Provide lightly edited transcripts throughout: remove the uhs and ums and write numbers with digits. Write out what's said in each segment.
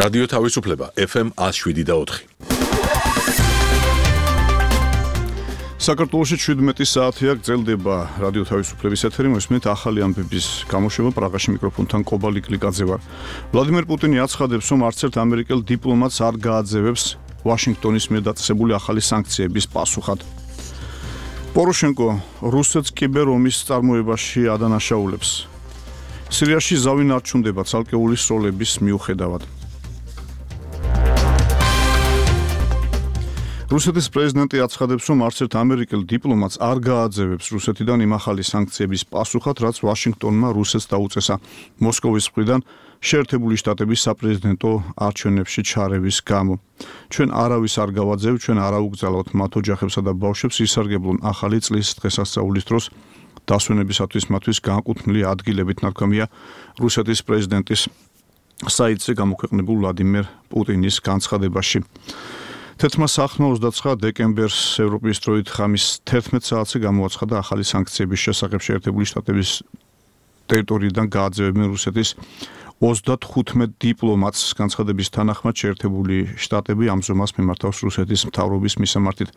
რადიო თავისუფლება FM 107.4. საქართველოში 17 საათია გრძელდება რადიო თავისუფლების ეთერი, მოსმენთ ახალი ამბების გამოშვება. პრაღაში მიკროფონთან კობალი კლიკაძე ვარ. ვლადიმერ პუტინი აცხადებს, რომ არც ერთ ამერიკელ დიპლომატს არ გააძევებს ვაშინგტონის მიერ დაწესებული ახალი სანქციების პასუხად. პოროშენკო რუსეთს კიბერომის წარმოებაში ადანაშაულებს. სირიაში ზავი ნარჩუნდება ცალკეული სროლების მიუხედავად. რუსეთის პრეზიდენტი აცხადებს, რომ არც ერთ ამერიკელ დიპლომატს არ გააძევებს რუსეთიდან იმ ახალი სანქციების პასუხად, რაც ვაშინგტონმა რუსეთს დაუწესა მოსკოვის მხრიდან შეერთებული შტატების საპრეზიდენტო არჩევნებში ჩარევის გამო. ჩვენ არავის არ გავაძევთ, ჩვენ არ აუგზავნოთ მათ ოჯახებსა და ბავშვებს ისარგებლონ ახალი წლის დღესასწაულის დროს დასვენებისათვის მათთვის განკუთვნილი ადგილებით, ნათქვამია რუსეთის პრეზიდენტის საიტზე გამოქვეყნებულ ვლადიმერ პუტინის განცხადებაში. თეთრმა სახმა 29 დეკემბერს ევროპის დროით ხამის 11 საათზე გამოაცხადა ახალი სანქციების შესახებ შეერთებული შტატების ტერიტორიიდან გააძევებენ რუსეთის 35 დიპლომატს. განცხადების თანახმად შეერთებული შტატები ამ ზომას მიმართავს რუსეთის მთავრობის მისამართით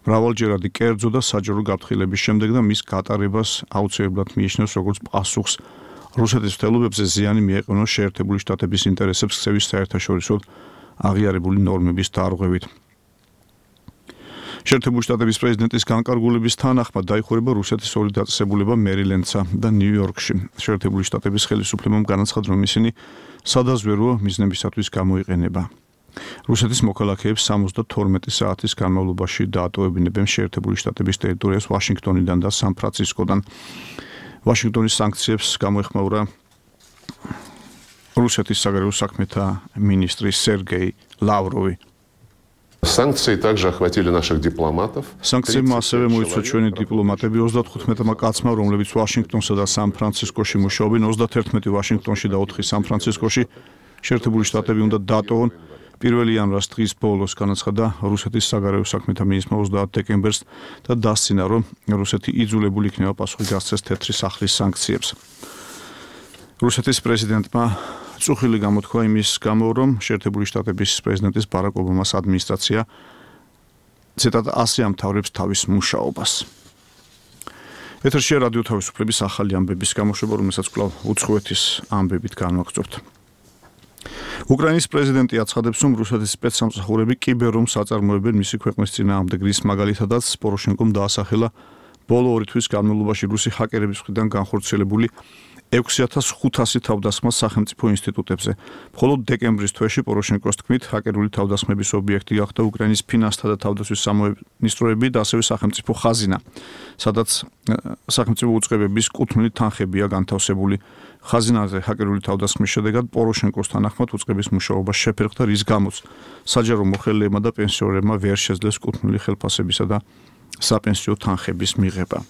მრავალჯერადი კერძო და საჯარო გაფრთხილების შემდეგ და მის გატარებას აუცილებლად მიიჩნევს როგორც პასუხს რუსეთის მცდელობებზე ზიანი მიეყენოს შეერთებული შტატების ინტერესებს ქცევის საერთაშორისო აღიარებული ნორმების დარღვევით. შეერთებული შტატების პრეზიდენტის განკარგულების თანახმად დაიხურება რუსეთის ორი დაწესებულება მერილენდსა და ნიუ-იორკში. შეერთებული შტატების ხელისუფლებამ განაცხადა, რომ ისინი სადაზვერვო მიზნებისათვის გამოიყენება. რუსეთის მოქალაქეებს 72 საათის განმავლობაში დაატოვებინებენ შეერთებული შტატების ტერიტორიას ვაშინგტონიდან და სან-ფრანცისკოდან. ვაშინგტონის სანქციებს გამოეხმაურა რუსეთის საგარეო საქმეთა მინისტრი სერგეი ლავროვი. Санкции также охватили наших дипломатов. Санкციებმა ასევე მოიცვა ჩვენი დიპლომატები 35 კაცმა, რომლებიც ვაშინგტონსა და სან-ფრანცისკოში მუშაობენ, 31 ვაშინგტონში და 4 სან-ფრანცისკოში. შეერთებული შტატები უნდა დატოვონ 1 იანვრის დღის ბოლოს, განაცხადა რუსეთის საგარეო საქმეთა მინისტრმა 30 დეკემბერს და დასცინა, რომ რუსეთი იძულებული იქნება პასუხი გასცეს თეთრი სახლის სანქციებს. რუსეთის პრეზიდენტმა წუხილი გამოთქვა იმის გამო, რომ შეერთებული შტატების პრეზიდენტის ბარაკ ობამას ადმინისტრაცია ციტატა ასე ამთავრებს თავის მუშაობას. ეთერშია რადიო თავისუფლების ახალი ამბების გამოშვება, რომელსაც კვლავ უცხოეთის ამბებით განვაგრძობთ. უკრაინის პრეზიდენტი აცხადებს, რომ რუსეთის სპეცსამსახურები კიბერომს აწარმოებენ მისი ქვეყნის წინააღმდეგ, რის მაგალითადაც პოროშენკომ დაასახელა ბოლო 2 თვის განმავლობაში რუსი ჰაკერების მხრიდან განხორციელებული 6500 თავდასხმა სახელმწიფო ინსტიტუტებზე. მხოლოდ დეკემბრის თვეში პოროშენკოს თქმით, ჰაკერული თავდასხმების ობიექტი გახდა უკრაინის ფინანსთა და თავდაცვის სამინისტროები და ასევე სახელმწიფო ხაზინა, სადაც სახელმწიფო უწყებების კუთვნილი თანხებია განთავსებული. ხაზინაზე ჰაკერული თავდასხმის შედეგად პოროშენკოს თანახმად უწყების მუშაობა შეფერხდა, რის გამოც საჯარო მოხელეებმა და პენსიონერებმა ვერ შეძლეს კუთვნილი ხელფასებისა და საპენსიო თანხების მიღება.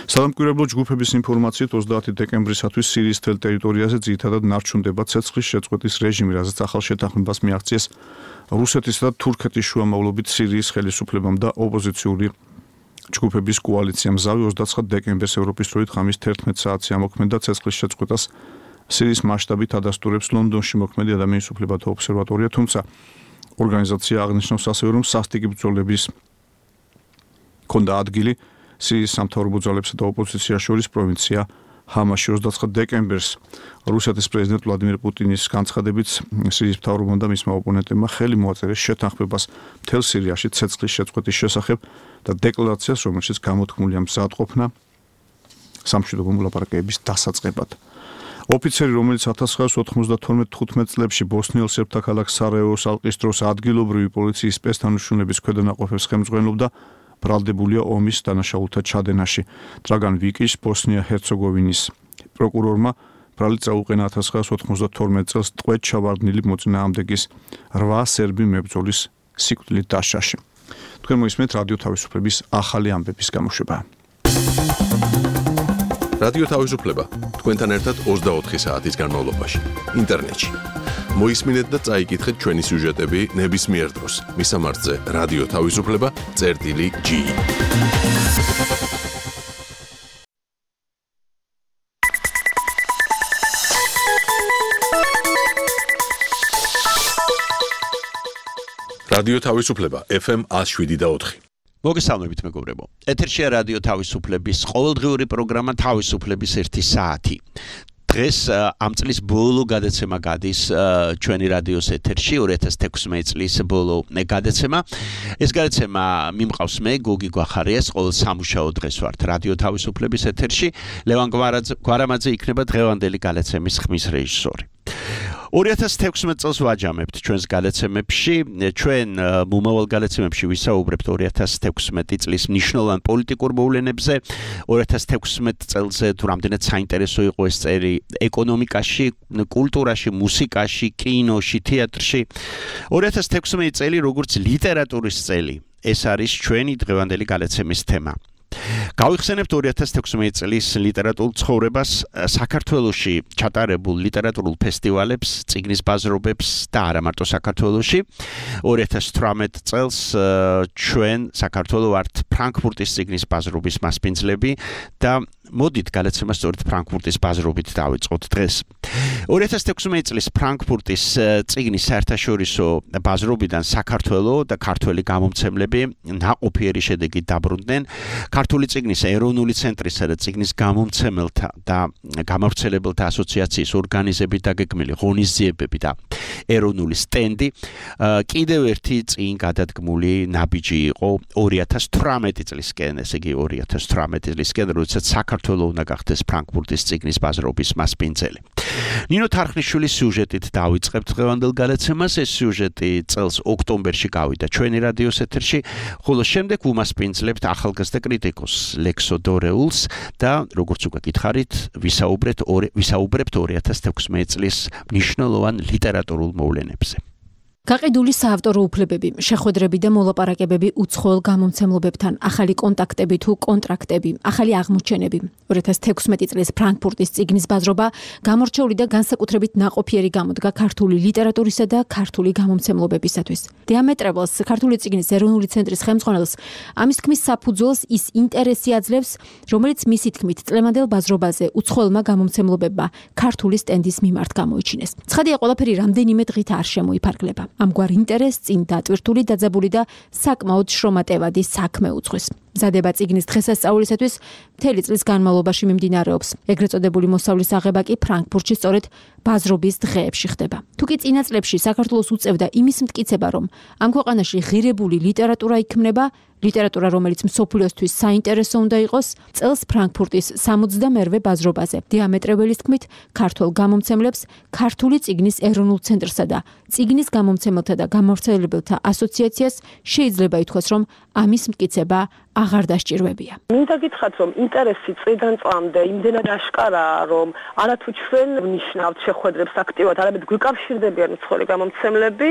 სადამკვირვებლო ჯგუფების ინფორმაციით 30 დეკემბრისათვის სირიის მთელ ტერიტორიაზე ძირითადად ნარჩუნდება ცეცხლის შეწყვეტის რეჟიმი, რაზეც ახალ შეთანხმებას მიაღწიეს რუსეთისა და თურქეთის შუამავლობით სირიის ხელისუფლებამ და ოპოზიციური ჯგუფების კოალიციამ. ზავი 29 დეკემბერს ევროპის დროით ხამის 11 საათზე ამოქმედა ცეცხლის შეწყვეტას სირიის მასშტაბით ადასტურებს ლონდონში მოქმედი ადამიანის უფლებათა ობსერვატორია, თუმცა ორგანიზაცია აღნიშნავს ასევე, რომ სასტიკი ბრძოლების ქონდა ადგილი სირიის სამთავრობო ძალებსა და ოპოზიციას შორის პროვინცია ჰამაში. 29 დეკემბერს რუსეთის პრეზიდენტ ვლადიმერ პუტინის განცხადებით სირიის მთავრობამ და მისმა ოპონენტებმა ხელი მოაწერეს შეთანხმებას მთელ სირიაში ცეცხლის შეწყვეტის შესახებ და დეკლარაციას, რომელშიც გამოთქმულია მზადყოფნა სამშვიდობო მოლაპარაკებების დასაწყებად. ოფიცერი, რომელიც 1992-15 წლებში ბოსნიელ სერბთა ქალაქ სარაევოს ალყის დროს ადგილობრივი პოლიციის სპეცთანუშრომლების ქვედანაყოფებს ხელმძღვანელობდა, ბრალდებულია ომის დანაშაულთა ჩადენაში. დრაგან ვიკის ბოსნია-ჰერცეგოვინის პროკურორმა ბრალი წაუყენა 1992 წელს ტყვედ ჩავარდნილი მოწინააღმდეგის 8 სერბი მებრძოლის სიკვდილით დასჯაში. თქვენ მოისმენთ რადიო თავისუფლების ახალი ამბების გამოშვება. რადიო თავისუფლება თქვენთან ერთად 24 საათის განმავლობაში ინტერნეტში. მოისმინეთ და წაიკითხეთ ჩვენი სიუჟეტები ნებისმიერ დროს. მისამართზე რადიო თავისუფლება.gi რადიო თავისუფლება FM 107.4. მოგესალმებით მეგობრებო. ეთერშია რადიო თავისუფლების ყოველდღიური პროგრამა თავისუფლების 1 საათი. დღეს ამ წლის ბოლო გადაცემა გადის ჩვენი რადიოს ეთერში 2016 წლის ბოლო გადაცემა. ეს გადაცემა მიმყავს მე გოგი გვახარიას, ყოველ სამუშაო დღეს ვართ რადიო თავისუფლების ეთერში. ლევან გვარამაძე იქნება დღევანდელი გადაცემის ხმის რეჟისორი. 2016 წელს ვაჯამებთ ჩვენს გადაცემებში, ჩვენ მომავალ გადაცემებში ვისაუბრებთ 2016 წლის მნიშვნელოვან პოლიტიკურ მოვლენებზე, 2016 წელზე თუ რამდენად საინტერესო იყო ეს წელი ეკონომიკაში, კულტურაში, მუსიკაში, კინოში, თეატრში. 2016 წელი როგორც ლიტერატურის წელი, ეს არის ჩვენი დღევანდელი გადაცემის თემა. გავიხსენებთ 2016 წლის ლიტერატურულ ცხოვრებას, საქართველოში ჩატარებულ ლიტერატურულ ფესტივალებს, წიგნის ბაზრობებს და არა მარტო საქართველოში. 2018 წელს ჩვენ საქართველო ვართ ფრანკფურტის წიგნის ბაზრობის მასპინძლები და მოდით გადაცემა სწორედ ფრანკფურტის ბაზრობით დავიწყოთ დღეს. 2016 წლის ფრანკფურტის წიგნის საერთაშორისო ბაზრობიდან საქართველო და ქართველი გამომცემლები ნაყოფიერი შედეგით დაბრუნდნენ. ქართული წიგნის ეროვნული ცენტრისა და წიგნის გამომცემელთა და გამავრცელებელთა ასოციაციის ორგანიზებით დაგეგმილი ღონისძიებები და ეროვნული სტენდი კიდევ ერთი წინ გადადგმული ნაბიჯი იყო 2018 წლისკენ, ესე იგი 2018 წლისკენ, როდესაც საქართველო უნდა გახდეს ფრანკფურტის წიგნის ბაზრობის მასპინძელი. ნინო თარხნიშვილის სიუჟეტით დავიწყებთ დღევანდელ გადაცემას. ეს სიუჟეტი წელს ოქტომბერში გავიდა ჩვენი რადიოს ეთერში, ხოლო შემდეგ უმასპინძლებთ ახალგაზრდა კრიტიკოს ლექსო დორეულს და როგორც უკვე გითხარით, ვისაუბრებთ 2016 წლის მნიშვნელოვან ლიტერატურულ მოვლენებზე. გაყიდული საავტორო უფლებები, შეხვედრები და მოლაპარაკებები უცხოელ გამომცემლობებთან, ახალი კონტაქტები თუ კონტრაქტები, ახალი აღმოჩენები. 2016 წლის ფრანკფურტის წიგნის ბაზრობა გამორჩეული და განსაკუთრებით ნაყოფიერი გამოდგა ქართული ლიტერატურისა და ქართული გამომცემლობებისათვის. დიამეტრებელს, ქართული წიგნის ეროვნული ცენტრის ხელმძღვანელს, ამის თქმის საფუძველს ის ინტერესი აძლევს, რომელიც მისი თქმით წლევანდელ ბაზრობაზე უცხოელმა გამომცემლობებმა ქართული სტენდის მიმართ გამოიჩინეს. ცხადია, ყველაფერი რამდენიმე დღით არ შემოიფარგლება. ამგვარ ინტერესს წინ დატვირთული, დაძაბული და საკმაოდ შრომატევადი საქმე უძღვის. მზადება წიგნის დღესასწაულისათვის მთელი წლის განმავლობაში მიმდინარეობს. ეგრეთ წოდებული მოსავლის აღება კი ფრანკფურტში სწორედ ბაზრობის დღეებში ხდება. თუკი წინა წლებში საქართველოს უწევდა იმის მტკიცება, რომ ამ ქვეყანაში ღირებული ლიტერატურა იქმნება, ლიტერატურა, რომელიც მსოფლიოსთვის საინტერესო უნდა იყოს, წელს ფრანკფურტის 68-ვე ბაზრობაზე დიამეტრებელის თქმით, ქართულ გამომცემლებს ქართული წიგნის ეროვნულ ცენტრსა და წიგნის გამომცემელთა და გამავრცელებელთა ასოციაციას შეიძლება ითქვას, რომ ამის მტკიცება აღარ დასჭირვებია. მინდა გითხრათ, რომ ინტერესი წლიდან წლამდე იმდენად აშკარაა, რომ არათუ ჩვენ ვნიშნავთ შეხვედრებს აქტიურად, არამედ გვიკავშირდებიან უცხოელი გამომცემლები,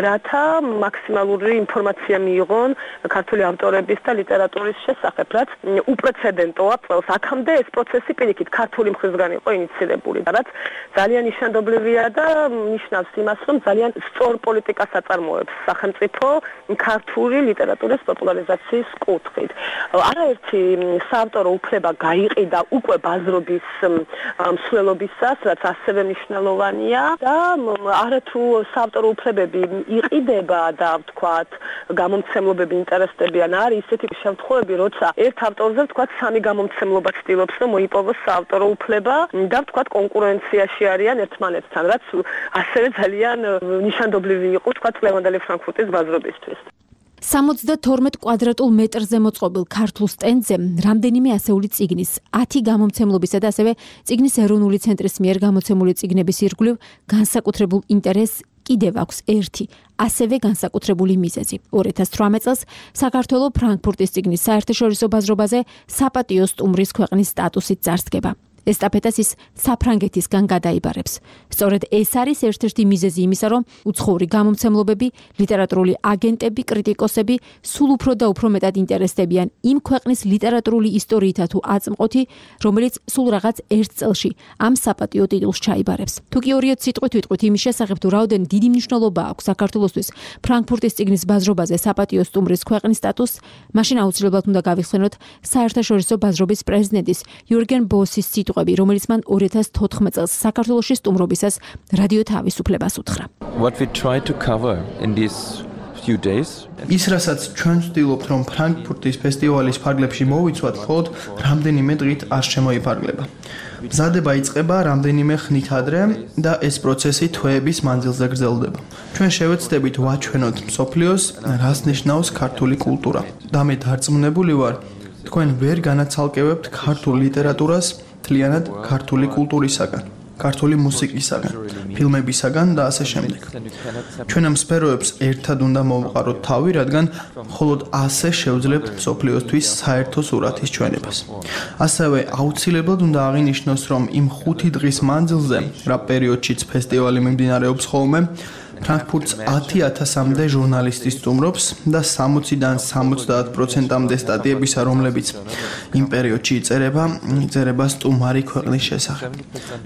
რათა მაქსიმალური ინფორმაცია მიიღონ ქართული ავტორების და ლიტერატურის შესახებ, რაც უპრეცედენტოა წელს. აქამდე ეს პროცესი პირიქით ქართული მხრიდან იყო ინიციირებული, რაც ძალიან ნიშანდობლივია და ნიშნავს იმას, რომ ძალიან სწორ პოლიტიკას აწარმოებს სახელმწიფო ქართული ლიტერატურის პოპულარიზაციის კუთხით. არაერთი საავტორო უფლება გაიყიდა უკვე ბაზრობის მსვლელობისას, რაც ასევე მნიშვნელოვანია და არათუ საავტორო უფლებები იყიდება და ვთქვათ, გამომცემლობები ინტერესდებიან, არის ისეთი შემთხვევები, როცა ერთ ავტორზე ვთქვათ, სამი გამომცემლობა ცდილობს, რომ მოიპოვოს საავტორო უფლება და ვთქვათ, კონკურენციაში არიან ერთმანეთთან, რაც ასევე ძალიან ნიშანდობლივი იყო, ვთქვათ, ლევანდელი ფრანკფურტის ბაზრობისთვის. 72 კვადრატულ მეტრზე მოწყობილ ქართულ სტენდზე რამდენიმე ასეული წიგნის, 10 გამომცემლობისა და ასევე წიგნის ეროვნული ცენტრის მიერ გამოცემული წიგნების ირგვლივ განსაკუთრებულ ინტერესს კიდევ აქვს ერთი, ასევე განსაკუთრებული მიზეზი. 2018 წელს საქართველო ფრანკფურტის წიგნის საერთაშორისო ბაზრობაზე საპატიო სტუმრის ქვეყნის სტატუსით წარსდგება. ესტაფეტას ის საფრანგეთისგან გადაიბარებს. სწორედ ეს არის ერთ-ერთი მიზეზი იმისა, რომ უცხოური გამომცემლობები, ლიტერატურული აგენტები, კრიტიკოსები სულ უფრო და უფრო მეტად ინტერესდებიან იმ ქვეყნის ლიტერატურული ისტორიითა თუ აწმყოთი, რომელიც სულ რაღაც ერთ წელში ამ საპატიო ტიტულს ჩაიბარებს. თუკი ორიოთ სიტყვით ვიტყვით იმის შესახებ, თუ რაოდენ დიდი მნიშვნელობა აქვს საქართველოსთვის ფრანკფურტის წიგნის ბაზრობაზე საპატიო სტუმრის ქვეყნის სტატუსს, მაშინ აუცილებლად უნდა გავიხსენოთ საერთაშორისო ბაზრობის პრეზიდენტის იურგენ ბოსის რომელიც მან 2014 წელს საქართველოში სტუმრობისას რადიო თავისუფლებას უთხრა. What we try to cover in these few days. ის რასაც ჩვენ ვცდილობთ რომ ფრანკფურტის ფესტივალის ფარგლებში მოვიცვათ, მხოლოდ რამდენიმე დღით არ შემოიფარგლება. მზადება იწყება რამდენიმე ხნით ადრე და ეს პროცესი თვეების მანძილზე გრძელდება. ჩვენ შევეცდებით ვაჩვენოთ მსოფლიოს, რას ნიშნავს ქართული კულტურა. და მე დარწმუნებული ვარ, თქვენ ვერ განაცალკევებთ ქართულ ლიტერატურას მთლიანად ქართული კულტურისაგან, ქართული მუსიკისაგან, ფილმებისაგან და ასე შემდეგ. ჩვენ ამ სფეროებს ერთად უნდა მოვყაროთ თავი, რადგან მხოლოდ ასე შევძლებთ მსოფლიოსთვის საერთო სურათის ჩვენებას. ასევე აუცილებლად უნდა აღინიშნოს, რომ იმ 5 დღის მანძილზე, რა პერიოდშიც ფესტივალი მიმდინარეობს ხოლმე, ფრანკფურტს 10,000-მდე ჟურნალისტი სტუმრობს და 60-დან 70%-მდე სტატიებისა, რომლებიც იმ პერიოდში იწერება სტუმარი ქვეყნის შესახებ.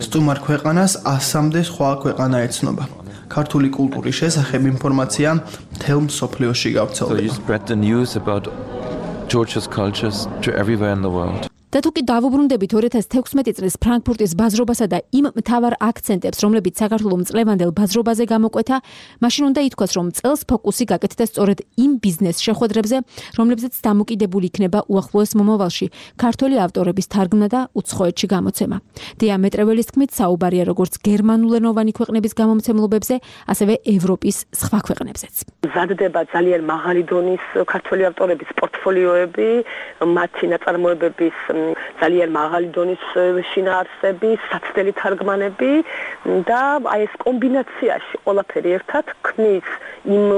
სტუმარ ქვეყანას 100-მდე სხვა ქვეყანა ეცნობა. ქართული კულტურის შესახებ ინფორმაცია მთელ მსოფლიოში გავრცელდება. So you spread the news about Georgia's cultures to everywhere in the world. და თუ კი დავუბრუნდებით 2016 წლის ფრანკფურტის ბაზრობასა და იმ მთავარ აქცენტებს, რომლებიც საქართველოს მწლევანდელ ბაზრობაზე გამოკვეთა, მაშინ უნდა ითქვას, რომ წელს ფოკუსი გაკეთდა სწორედ იმ ბიზნეს შეხვედრებზე, რომლებზეც დამოკიდებული იქნება უახლოეს მომავალში ქართველი ავტორების თარგმნა და უცხოეთში გამოცემა. დიამეტრეველის თქმით, საუბარია როგორც გერმანულენოვანი ქვეყნების გამომცემლობებზე, ასევე ევროპის სხვა ქვეყნებზეც. მზადდება ძალიან მაღალი დონის ქართველი ავტორების პორტფოლიოები, მათი ნაწარმოებების ძალიან მაღალი დონის შინაარსები, საცდელი თარგმანები და აი ეს კომბინაციაში ყველაფერი ერთად ქმნის იმ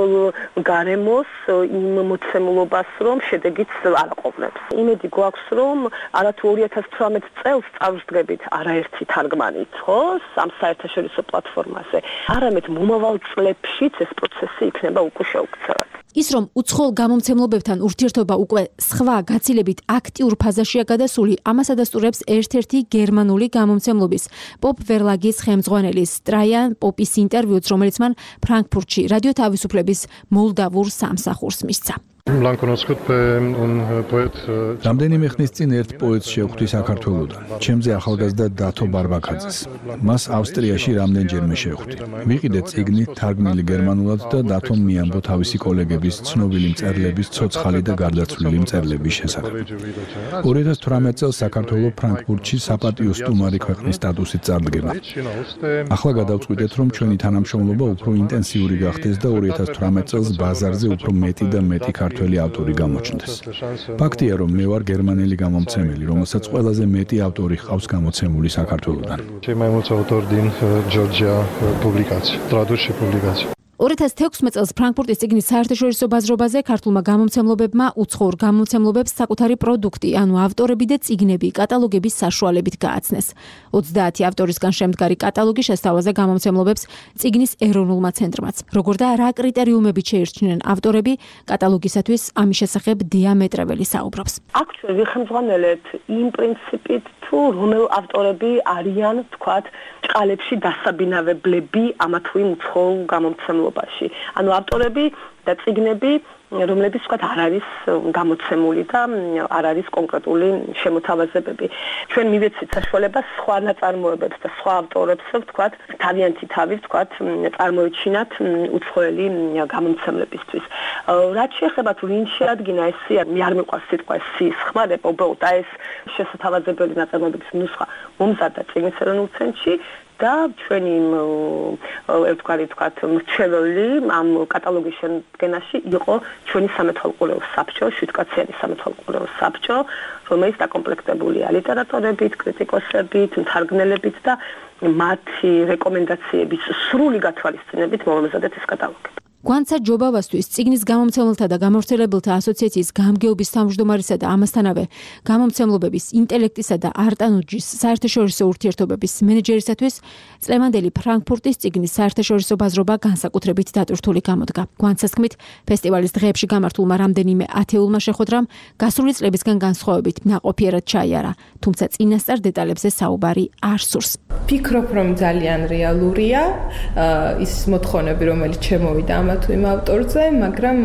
გარემოს, იმ მოცემულობას, რომ შედეგიც არ აყოლებს. იმედი გვაქვს, რომ არათუ 2018 წელს წავსდგებით არაერთი თარგმანით, ხო, ამ საერთაშორისო პლატფორმაზე, არამედ მომავალ წლებშიც ეს პროცესი იქნება უკვე შეუქცევად. ის რომ უცხოელ გამომცემლობებთან ურთიერთობა უკვე სხვა გაცილებით აქტიურ ფაზაშია გადასული, ამას ადასტურებს ერთ-ერთი გერმანული გამომცემლობის პოპ ვერლაგის ხელმძღვანელის ტრაიან პოპის ინტერვიუც, რომელიც მან ფრანკფურტში რადიო თავისუფლების მოლდავურ სამსახურს მისცა. რამდენიმე ხნის წინ ერთ პოეტს შევხვდი საქართველოდან, ჩემზე ახალგაზრდა დათო ბარბაკაძეს. მას ავსტრიაში რამდენჯერმე შევხვდი. ვიყიდე წიგნი თარგმნილი გერმანულად და დათომ მიამბო თავისი კოლეგების ცნობილი მწერლების ცოცხალი და გარდაცვლილი მწერლების შესახებ. 2018 წელს საქართველოს ფრანკფურტში საპატიო სტუმარი ქვეყნის სტატუსით წარდგება. ახლა გადავწყვიტეთ, რომ ჩვენი თანამშრომლობა უფრო ინტენსიური გახდეს და 2018 წელს ბაზარზე უფრო მეტი და მეტი ქართველი ავტორი გამოჩნდეს. ფაქტია, რომ მე ვარ გერმანელი გამომცემელი, რომელსაც ყველაზე მეტი ავტორი ჰყავს გამოცემული საქართველოდან. 2016 წელს ფრანკფურტის წიგნის საერთაშორისო ბაზრობაზე ქართულმა გამომცემლობებმა უცხოურ გამომცემლობებს საკუთარი პროდუქტი, ანუ ავტორები და წიგნები კატალოგების საშუალებით გააცნეს. 30 ავტორისგან შემდგარი კატალოგი შესთავაზე გამომცემლობებს წიგნის ეროვნულმა ცენტრმაც. როგორ და რა კრიტერიუმებით შეირჩნენ ავტორები, კატალოგისათვის ამის შესახებ დიამეტრეველი საუბრობს. აქ ჩვენ ვიხელმძღვანელეთ იმ პრინციპით, თუ რომელ ავტორები არიან, თქვათ, ჭყალებში დასაბინავებლები ამა თუ იმ უცხოურ გამომცემლობაში. ანუ ავტორები და წიგნები, რომლებიც თქვათ არ არის გამოცემული და არ არის კონკრეტული შემოთავაზებები. ჩვენ მივეცით საშუალებას სხვა ნაწარმოებებს და სხვა ავტორებს, თქვათ, თავიანთი თავის, თქვათ, წარმოიჩინათ უცხოელი გამომცემლებისთვის. რაც შეეხება თუ ვინ შეადგინა ეს სია, მე არ მეყვარს სიტყვა სიის ხმარება, უბრალოდ ეს შესათავაზებელი ნაწარმოებების ნუსხა მომზადდა წიგნის ეროვნულ ცენტრში და ჩვენი თქვათ მრჩეველი ამ კატალოგის შემდგენაში იყო ჩვენი სამეთვალყურეო საბჭო, 7-კაციანი სამეთვალყურეო საბჭო, რომელიც დაკომპლექტებულია ლიტერატორებით, კრიტიკოსებით, მთარგმნელებით და მათი რეკომენდაციების სრული გათვალისწინებით მომზადეთ ეს კატალოგი. გვანცა ჯობავასთვის წიგნის გამომცემელთა და გამავრცელებელთა ასოციაციის გამგეობის თავმჯდომარისა და ამასთანავე გამომცემლობების ინტელექტისა და არტანუჯის საერთაშორისო ურთიერთობების მენეჯერისათვის წლევანდელი ფრანკფურტის წიგნის საერთაშორისო ბაზრობა განსაკუთრებით დატვირთული გამოდგა. გვანცას თქმით, ფესტივალის დღეებში გამართულმა რამდენიმე ათეულმა შეხვედრამ გასული წლებისგან განსხვავებით ნაყოფიერად ჩაიარა, თუმცა წინასწარ დეტალებზე საუბარი არ სურს. ფიქრობ, რომ ძალიან რეალურია ის მოთხოვნები, რომელიც შემოვიდა თუ იმ ავტორზე, მაგრამ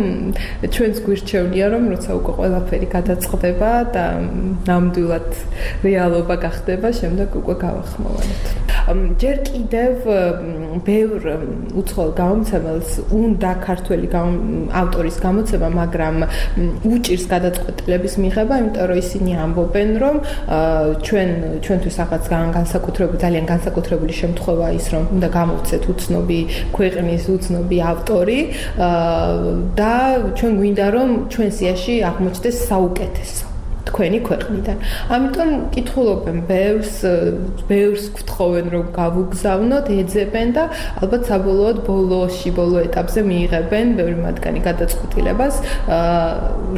ჩვენს გვირჩეულია, რომ როცა უკვე ყველაფერი გადაწყდება და ნამდვილად რეალობა გახდება, შემდეგ უკვე გავახმოვანოთ. ჯერ კიდევ ბევრ უცხოელ გამომცემელს უნდა ქართველი ავტორის გამოცემა, მაგრამ უჭირს გადაწყვეტილების მიღება, იმიტომ რომ ისინი ამბობენ, რომ ჩვენთვის რაღაც ძალიან განსაკუთრებული შემთხვევა ის, რომ უნდა გამოვცეთ უცნობი ქვეყნის უცნობი ავტორი და ჩვენ გვინდა რომ ჩვენ სიაში აღმოჩნდეს საუკეთესო თქვენი ქვეყნიდან. ამიტომ კითხულობენ ბევრს გთხოვენ რომ გავუგზავნოთ, ეძებენ და ალბათ საბოლოოდ ბოლო ეტაპზე მიიღებენ ბევრი მათგანი გადაწყვეტილებას,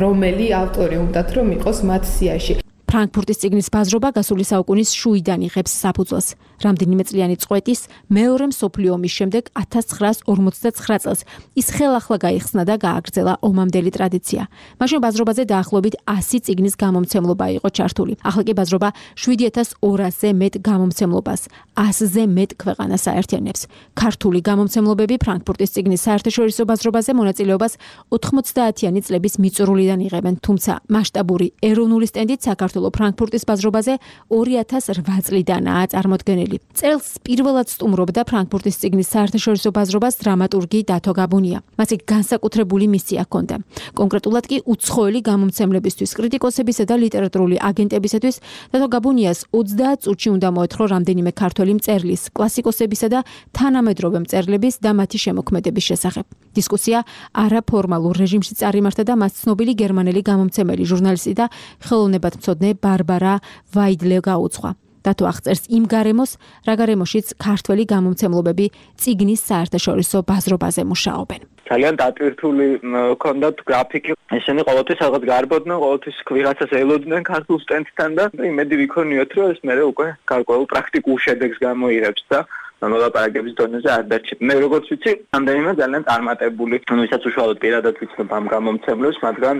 რომელი ავტორი უნდათ რომ იყოს მათ სიაში. ფრანკფურტის წიგნის ბაზრობა გასული საუკუნის შუიდან იღებს საფუძველს. რამდენიმე წლიანი წყვეტის მეორე მსოფლიო ომის შემდეგ 1959 წელს ის ხელახლა გაიხსნა და გააგრძელა ომამდელი ტრადიცია. მაშინ ბაზრობაზე დაახლოებით 100 წიგნის გამომცემლობა იყო ჩართული. ახლა კი ბაზრობა 7200-ზე მეტ გამომცემლობას, 100-ზე მეტ ქვეყანას აერთიანებს. ქართული გამომცემლობები ფრანკფურტის წიგნის საერთაშორისო ბაზრობაზე მონაწილეობას 90-იანი წლების მიწურულიდან იღებენ, თუმცა მასშტაბური ეროვნული სტენდით საქართველოს ფრანკფურტის ბაზრობაზე 2008 წლიდანაა წარმოდგენილი. წელს პირველად სტუმრობდა ფრანკფურტის წიგნის საერთაშორისო ბაზრობას დრამატურგი დათო გაბუნია. მას განსაკუთრებული მისია ჰქონდა. კონკრეტულად კი უცხოელი გამომცემლებისთვის, კრიტიკოსებისა და ლიტერატურული აგენტებისათვის დათო გაბუნიას 30 წუთში უნდა მოეთხრო რამდენიმე ქართველი მწერლის, კლასიკოსებისა და თანამედროვე მწერლების და მათი შემოქმედების შესახებ. დისკუსია არაფორმალურ რეჟიმში წარიმართა და მას ცნობილი გერმანელი გამომცემელი, ჟურნალისტი და ხელოვნებათმცოდნე ბარბარა ვაიდლე გაუძღვა. დათო აღწერს იმ გარემოს, რა გარემოშიც ქართველი გამომცემლობები წიგნის საერთაშორისო ბაზრობაზე მუშაობენ. ძალიან დატვირთული ჰქონდათ გრაფიკი. ესენი ყოველთვის რაღაც გარბოდნენ, ყოველთვის ვიღაცას ელოდნენ ქართულ სტენდთან და იმედი ვიქონიოთ, რომ ეს მერე უკვე გარკვეულ პრაქტიკულ შედეგს გამოიღებს და მოლაპარაკების დონეზე არ დარჩება. მე როგორც ვიცი, რამდენიმე ძალიან წარმატებული, ვისაც უშუალოდ პირადად ვიცნობ ამ გამომცემლებს, მაგრამ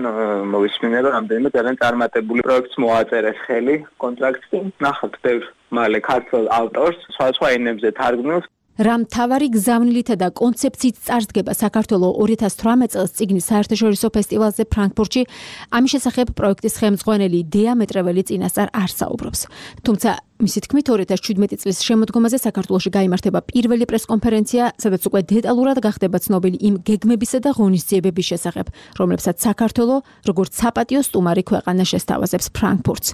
მოვისმინე, რომ რამდენიმე ძალიან წარმატებული პროექტს მოაწერეს ხელი, კონტრაქტი. ნახავთ ბევრ მალე ქართულ ავტორს, სხვა ენებზე თარგმნილს. რა მთავარი გზავნილითა და კონცეფციით წარსდგება საქართველოს 2018 წელს წიგნის საერთაშორისო ფესტივალზე ფრანკფურტში, ამის შესახებ პროექტის ხელმძღვანელი დიამეტრეველი წინასწარ არ საუბრობს. თუმცა მისი თქმით 2017 წლის შემოდგომაზე საქართველოში გაიმართება პირველი პრესკონფერენცია, სადაც უკვე დეტალურად გახდება ცნობილი იმ გეგმებისა და ღონისძიებების შესახებ, რომლებსაც საქართველოს როგორც საპატიო სტუმარი ქვეყანა შესთავაზებს ფრანკფურტს.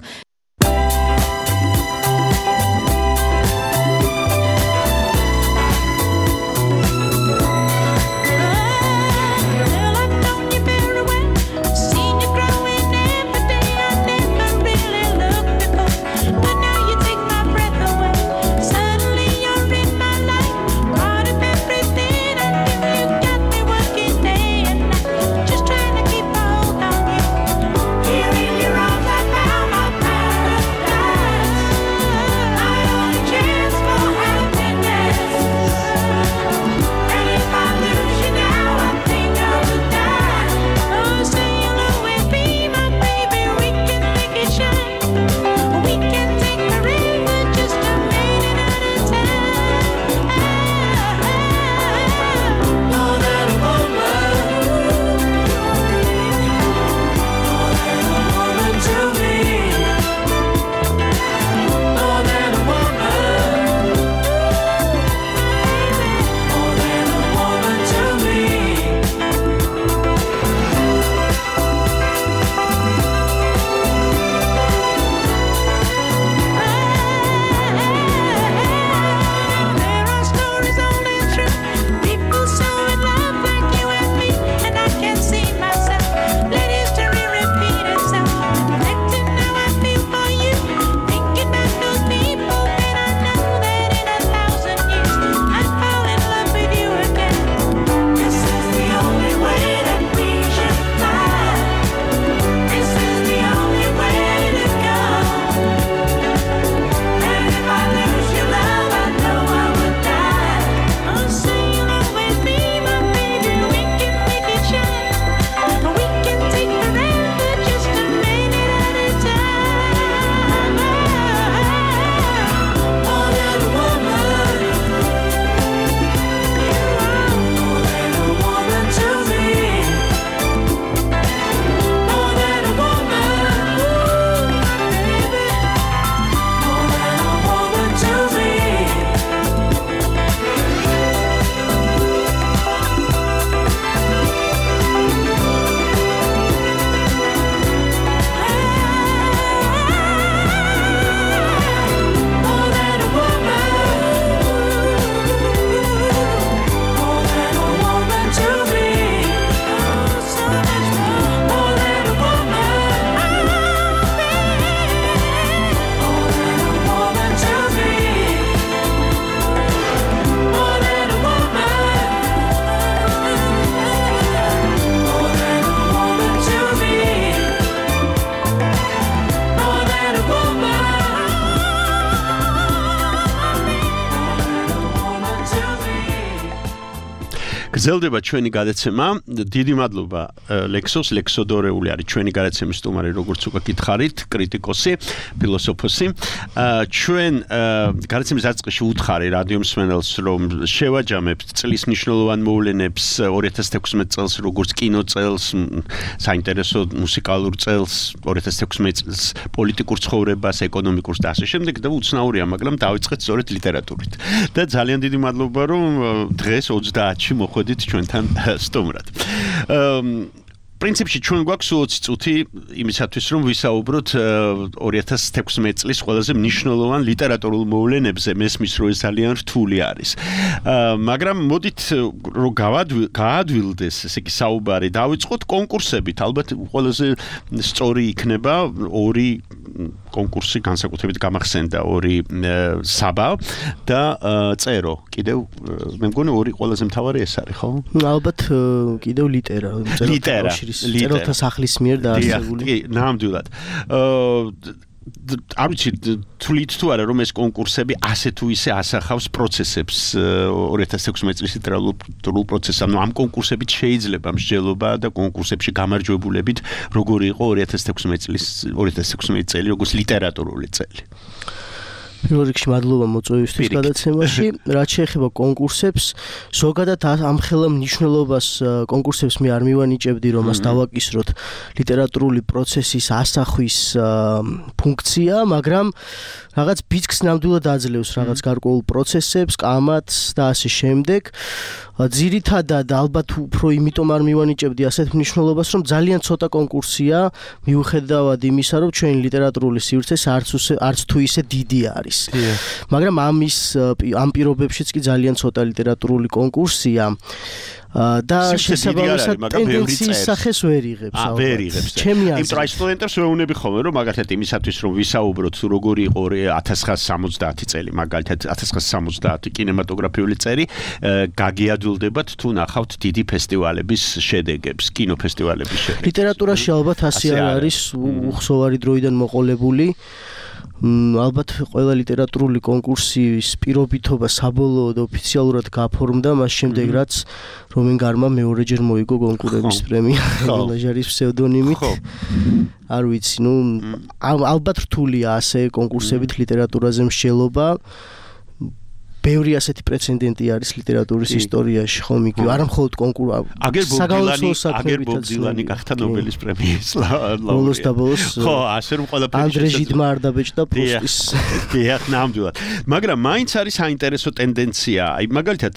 გრძელდება ჩვენი გადაცემა. დიდი მადლობა ლექსოს, ლექსოდორეული არის ჩვენი გადაცემის სტუმარი, როგორც უკვე გითხარით, კრიტიკოსი, ფილოსოფოსი. ჩვენ გადაცემის დაწყებაში უთხარი რადიო მსმენელს, რომ შევაჯამებთ წლის მნიშვნელოვან მოვლენებს 2016 წელს, როგორც კინო წელს, საინტერესო მუსიკალურ წელს, 2016 წელს პოლიტიკურ ცხოვრებას, ეკონომიკურს და ასე შემდეგ და უცნაურია, მაგრამ დავიწყეთ სწორედ ლიტერატურით. და ძალიან დიდი მადლობა, რომ დღეს 30-ში მოხვედით ჩვენთან სტუმრად. პრინციპში ჩვენ გვაქვს 20 წუთი იმისათვის, რომ ვისაუბროთ 2016 წლის ყველაზე მნიშვნელოვან ლიტერატურულ მოვლენებზე, მესმის რომ ეს ძალიან რთული არის. მაგრამ მოდით რომ გაადვილდეს, ესე იგი საუბარი დავიწყოთ კონკურსებით. ალბათ ყველაზე სწორი იქნება ორი კონკურსი, განსაკუთრებით გამახსენდა ორი საბა და წერო. კიდევ მე მგონი ორი ყველაზე მთავარი ეს არის, ხო? ალბათ კიდევ ლიტერა. წეროთა სახლის მიერ დაარსებული. კი, ნამდვილად. არ ვიცი, თვლით თუ არა, რომ ეს კონკურსები ასე თუ ისე ასახავს პროცესებს 2016 წლის ლიტერატურულ პროცესს. ანუ ამ კონკურსებით შეიძლება მსჯელობა და კონკურსებში გამარჯვებულებით როგორი იყო 2016 წელი, როგორც ლიტერატურული წელი. პირველ რიგში მადლობა მოწვევისთვის გადაცემაში. რაც შეეხება კონკურსებს, ზოგადად ამხელა მნიშვნელობას კონკურსებს მე არ მივანიჭებდი, რომ მას დავაკისროთ ლიტერატურული პროცესის ასახვის ფუნქცია, მაგრამ რაღაც ბიძგს ნამდვილად აძლევს რაღაც გარკვეულ პროცესებს, კამათს და ასე შემდეგ. ძირითადად ალბათ უფრო იმიტომ არ მივანიჭებდი ასეთ მნიშვნელობას, რომ ძალიან ცოტა კონკურსია, მიუხედავად იმისა, რომ ჩვენი ლიტერატურული სივრცე არც თუ ისე დიდი არის. მაგრამ ამ პირობებშიც კი ძალიან ცოტა ლიტერატურული კონკურსია. და შესაბამისად ტენდენციის სახეს ვერ იღებს. ვერ იღებს. იმიტომ რომ სტუდენტებს ვეუბნები ხოლმე, რომ მაგალითად იმისათვის რომ ვისაუბროთ როგორი იყო 1970 წელი, მაგალითად 1970 კინემატოგრაფიული წელი, გაგიადვილდებათ თუ ნახავთ დიდი ფესტივალების შედეგებს, კინოფესტივალების შედეგებს. ლიტერატურაში ალბათ ასე არ არის უხსოვარი დროიდან მოყოლებული. ალბათ ყველა ლიტერატურული კონკურსის პირობითობა საბოლოოდ ოფიციალურად გაფორმდა მას შემდეგ, რაც რომენგარმა მეორეჯერ მოიგო კონკურების პრემია ლაჟარის ფსევდონიმით. არ ვიცი, ალბათ რთულია ასე კონკურსებით ლიტერატურაზე მსჯელობა. ბევრი ასეთი პრეცედენტი არის ლიტერატურის ისტორიაში, ხომ იგი არა მხოლოდ აგერ ბობ დილანი გახდა ნობელის პრემიის ლაურეატი. ხო, ასე რომ ყველაფერი ანდრე ჟიდმა არ დაბეჭდა პრუსტის. დიახ, ნამდვილად. მაგრამ მაინც არის საინტერესო ტენდენცია. აი მაგალითად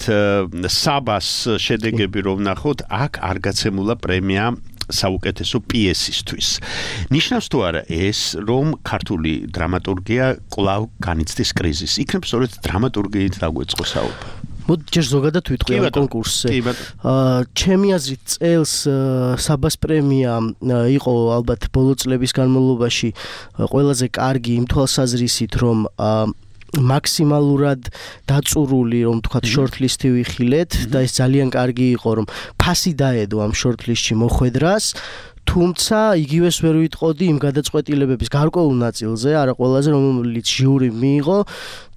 საბას შედეგები რომ ნახოთ, აქ არ გაცემულა პრემია საუკეთესო პიესისთვის. ნიშნავს თუ არა ეს, რომ ქართული დრამატურგია კვლავ განიცდის კრიზისს. იქნებ სწორედ დრამატურგიით დაგვეწყო საუბარი. მოდი ჯერ ზოგადად ვიტყვი ამ კონკურსზე. ჩემი აზრით წელს საბას პრემია იყო ალბათ ბოლო წლების განმავლობაში ყველაზე კარგი იმ თვალსაზრისით, რომ მაქსიმალურად დაწურული, რომ თქვათ shortlist-ი ვიხილეთ და ეს ძალიან კარგი იყო, რომ ფასი დაედო ამ shortlist-ში მოხვედრას. თუმცა იგივეს ვერ ვიტყოდი იმ გადაწყვეტილებების გარკვეულ ნაწილზე, არა ყველაზე, რომელიც ჟიური მიიღო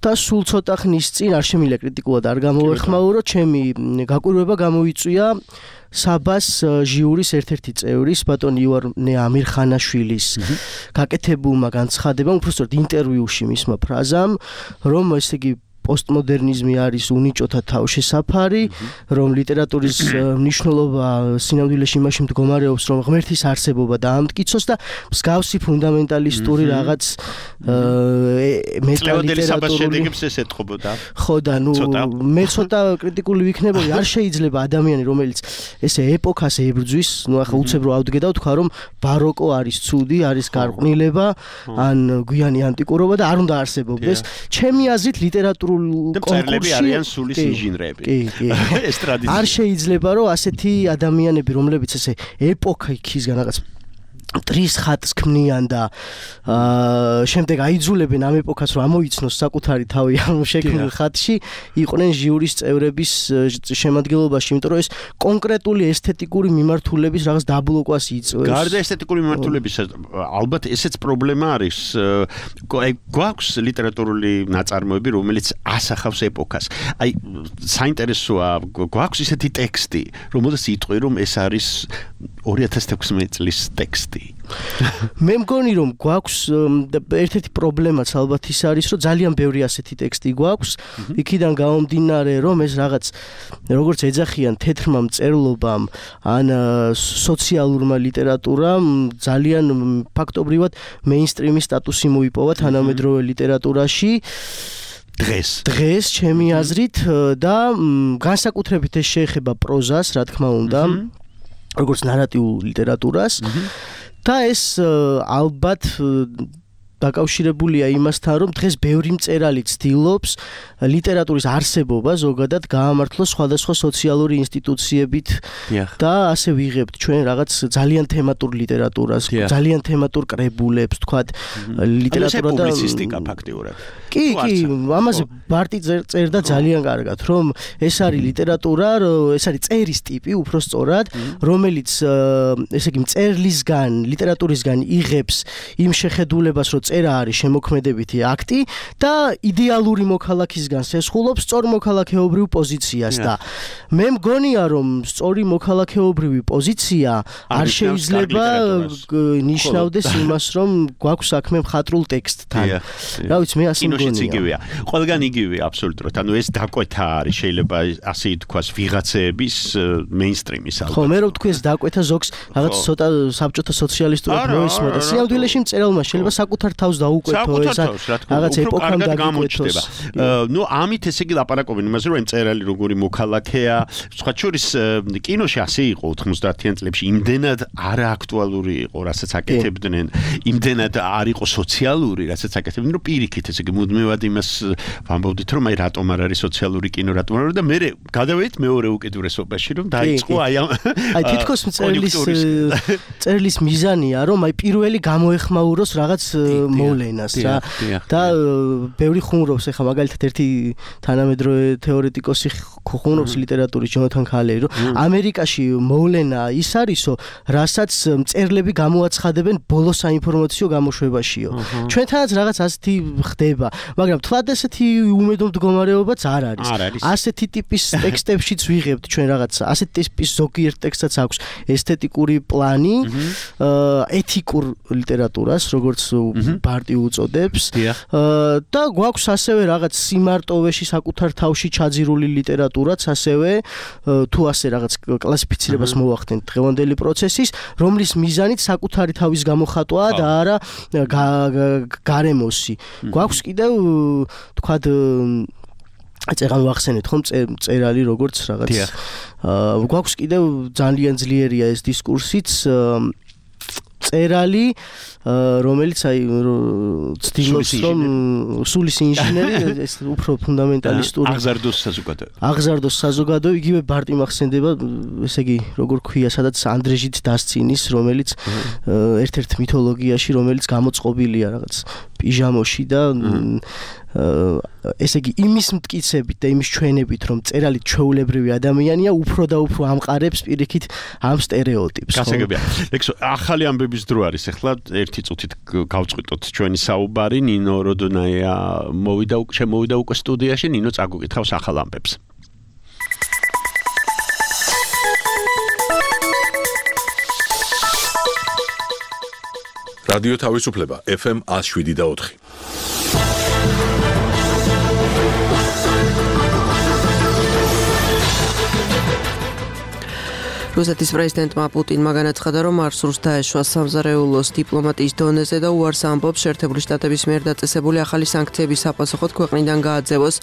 და სულ ცოტა ხნის წინ არ შემიძლია კრიტიკულად არ გამოვეხმაურო, ჩემი გაკვირვება გამოვიწვია საბას ჟიურის ერთ-ერთი წევრის ბატონ ივანე ამირხანაშვილის გაკეთებულმა განცხადებამ, უბრალოდ ინტერვიუში მისმა ფრაზამ, რომ ესე იგი პოსტმოდერნიზმი არის უნიჭოთა თავშესაფარი, რომ ლიტერატურის მნიშვნელობა სინამდვილეში იმაში მდგომარეობს, რომ ღმერთის არსებობა დაამტკიცოს და მსგავსი ფუნდამენტალისტური რაღაც მეტალიტერატურული ეს ეთყობოდა. ხო და მე ცოტა კრიტიკული ვიქნებოდი, არ შეიძლება ადამიანი, რომელიც ესე ეპოქას ებრძვის, ახლა უცებ რო ავდგე და ვთქვა, რომ ბაროკო არის ცუდი, არის გარყვნილება, ან გვიანი ანტიკურობა და არ უნდა არსებობდეს. ჩემი აზრით ლიტერატურული კონკურსი არიან სულის ინჟინრები. ეს ტრადიცია. არ შეიძლება რომ ასეთი ადამიანები, რომლებიც ესე ეპოქისგან რაღაც ტრის ხატს ქმნიან და შემდეგ აიძულებენ ამ ეპოქას რომ ამოიცნოს საკუთარი თავი ამ შექმნილ ხატში, იყვნენ ჟიურის წევრების შემადგენლობაში, იმიტომ რომ ეს კონკრეტული ესთეტიკური მიმართულების რაღაც დაბლოკვას იწვევს. გარდა ესთეტიკური მიმართულების, ალბათ ესეც პრობლემა არის. გვაქვს ლიტერატურული ნაწარმოები, რომელიც ასახავს ეპოქას. აი, საინტერესოა, გვაქვს ისეთი ტექსტი, რომელსაც იტყვი, რომ ეს არის 2016 წლის ტექსტი. მე მგონი რომ გვაქვს ერთ-ერთი პრობლემაც ალბათ ის არის რომ ძალიან ბევრი ასეთი ტექსტი გვაქვს იქიდან გამომდინარე რომ ეს რაღაც როგორც ეძახიან თეთრმა მწერლობამ ან სოციალურმა ლიტერატურამ ძალიან ფაქტობრივად მეინსტრიმის სტატუსი მოიპოვა თანამედროვე ლიტერატურაში დღეს ჩემი აზრით და განსაკუთრებით ეს შეეხება პროზას რა თქმა უნდა როგორც ნარატიულ ლიტერატურას და ეს ალბათ დაკავშირებულია იმასთან, რომ დღეს ბევრი მწერალი ცდილობს ლიტერატურის არსებობა ზოგადად გაამართლოს სხვადასხვა სოციალური ინსტიტუციებით და ასე ვიღებთ ჩვენ რაღაც ძალიან თემატურ ლიტერატურას, ძალიან თემატურ კრებულებს, თქვათ ლიტერატურა და პუბლიცისტიკა ფაქტიურად. კი, ამაზე ბარტი წერდა ძალიან კარგად, რომ ეს არის ლიტერატურა, ეს არის წერის ტიპი, უფრო სწორად, რომელიც ესე იგი მწერლისგან, ლიტერატურისგან იღებს იმ შეხედულებას, რომ წერა არის შემოქმედებითი აქტი და იდეალური მოქალაქისგან სესხულობს სწორ მოქალაქეობრივ პოზიციას და მე მგონია რომ სწორი მოქალაქეობრივი პოზიცია არ შეიძლება ნიშნავდეს იმას რომ გვაქვს საქმე მხატვრულ ტექსტთან. რა ვიცი მე ასე მგონია. ყველგან იგივეა აბსოლუტურად. ანუ ეს დაკვეთა არის შეიძლება ასე ითქვას ვიღაცეების მეინსტრიმის ალბათ. ხო მე რო ვთქვი ეს დაკვეთა ზოგს რაღაც ცოტა საბჭოთა სოციალისტურად მოისმენთ და სიამდვილეში მწერალმა შეიძლება საკუთარ თავს დაუკვეთო ეს რაღაც ეპოქამ გამოჩნდება. ნუ ამით ესე იგი ლაპარაკობენ იმაზე რომ მწერალი როგორი მოქალაქეა, სხვა შორის კინოში ასე იყო 90-იან წლებში, იმდენად არააქტუალური იყო, რასაც აკეთებდნენ, იმდენად არ იყო სოციალური, რასაც აკეთებდნენ, რომ პირიქით ესე იგი მუდმივად იმას ვამბობდით, რომ აი რატომ არ არის სოციალური კინო, რატომ არა და მე გადავედით მეორე უკიდურესობაში, რომ დაიწყო აი ამ აი თითქოს მწერლის მიზანია, რომ აი პირველი გამოეხმაუროს რაღაც მოვლენას რა და ბევრი ხუმრობს ეხლა მაგალითად ერთი თანამედროვე თეორეტიკოსი ხუმრობს ლიტერატურის ჯონათან ქალერი რომ ამერიკაში მოვლენა ის არისო რასაც მწერლები გამოაცხადებენ ბოლო საინფორმაციო გამოშვებაშიო ჩვენთანაც რაღაც ასეთი ხდება მაგრამ თლად ესეთი უმედო მდგომარეობაც არ არის ასეთი ტიპის ტექსტებშიც ვიღებთ ჩვენ რაღაც ასეთი ტიპის ზოგიერთ ტექსტსაც აქვს ესთეტიკური პლანი ეთიკურ ლიტერატურას როგორც ბარტი უწოდებს და გვაქვს ასევე რაღაც სიმარტოვეში საკუთარ თავში ჩაძირული ლიტერატურაც ასევე თუ ასე რაღაც კლასიფიცირებას მოვახდენთ დღევანდელი პროცესის რომლის მიზანით საკუთარი თავის გამოხატვა და არა გარემოსი გვაქვს კიდევ თქვათ წეგან ვახსენეთ ხომ წერალი როგორც რაღაც გვაქვს კიდევ ძალიან ძლიერია ეს დისკურსიც წერალი რომელიც აი ცდილობს რომ სულის ინჟინერი ეს უფრო ფუნდამენტალისტური აღზარდოს საზოგადო იგივე ბარტი მახსენდება ესე იგი როგორ ქვია სადაც ანდრეჟით დასცინის რომელიც ერთ-ერთ მითოლოგიაში რომელიც გამოწყობილია რაღაც პიჟამოში და ესე იგი იმის მტკიცებით და იმის ჩვენებით რომ წერალი ჩვეულებრივი ადამიანია უფრო და უფრო ამყარებს პირიქით ამ სტერეოტიპს გასაგებია ლექსო ახალი ამბების დრო არის ახლა ერთი წუთით გავწყვიტოთ ჩვენი საუბარი ნინო როდონაია მოვიდა უკვე სტუდიაში ნინო წაგუკითხავს ახალ ამბებს რადიო თავისუფლება FM 107.4 რუსეთის პრეზიდენტმა პუტინმა განაცხადა, რომ არ სურს დაეშვა სამზარეულოს დიპლომატიის დონეზე და უარს ამბობს შეერთებული შტატების მიერ დაწესებული ახალი სანქციების საპასუხოდ ქვეყნიდან გააძევოს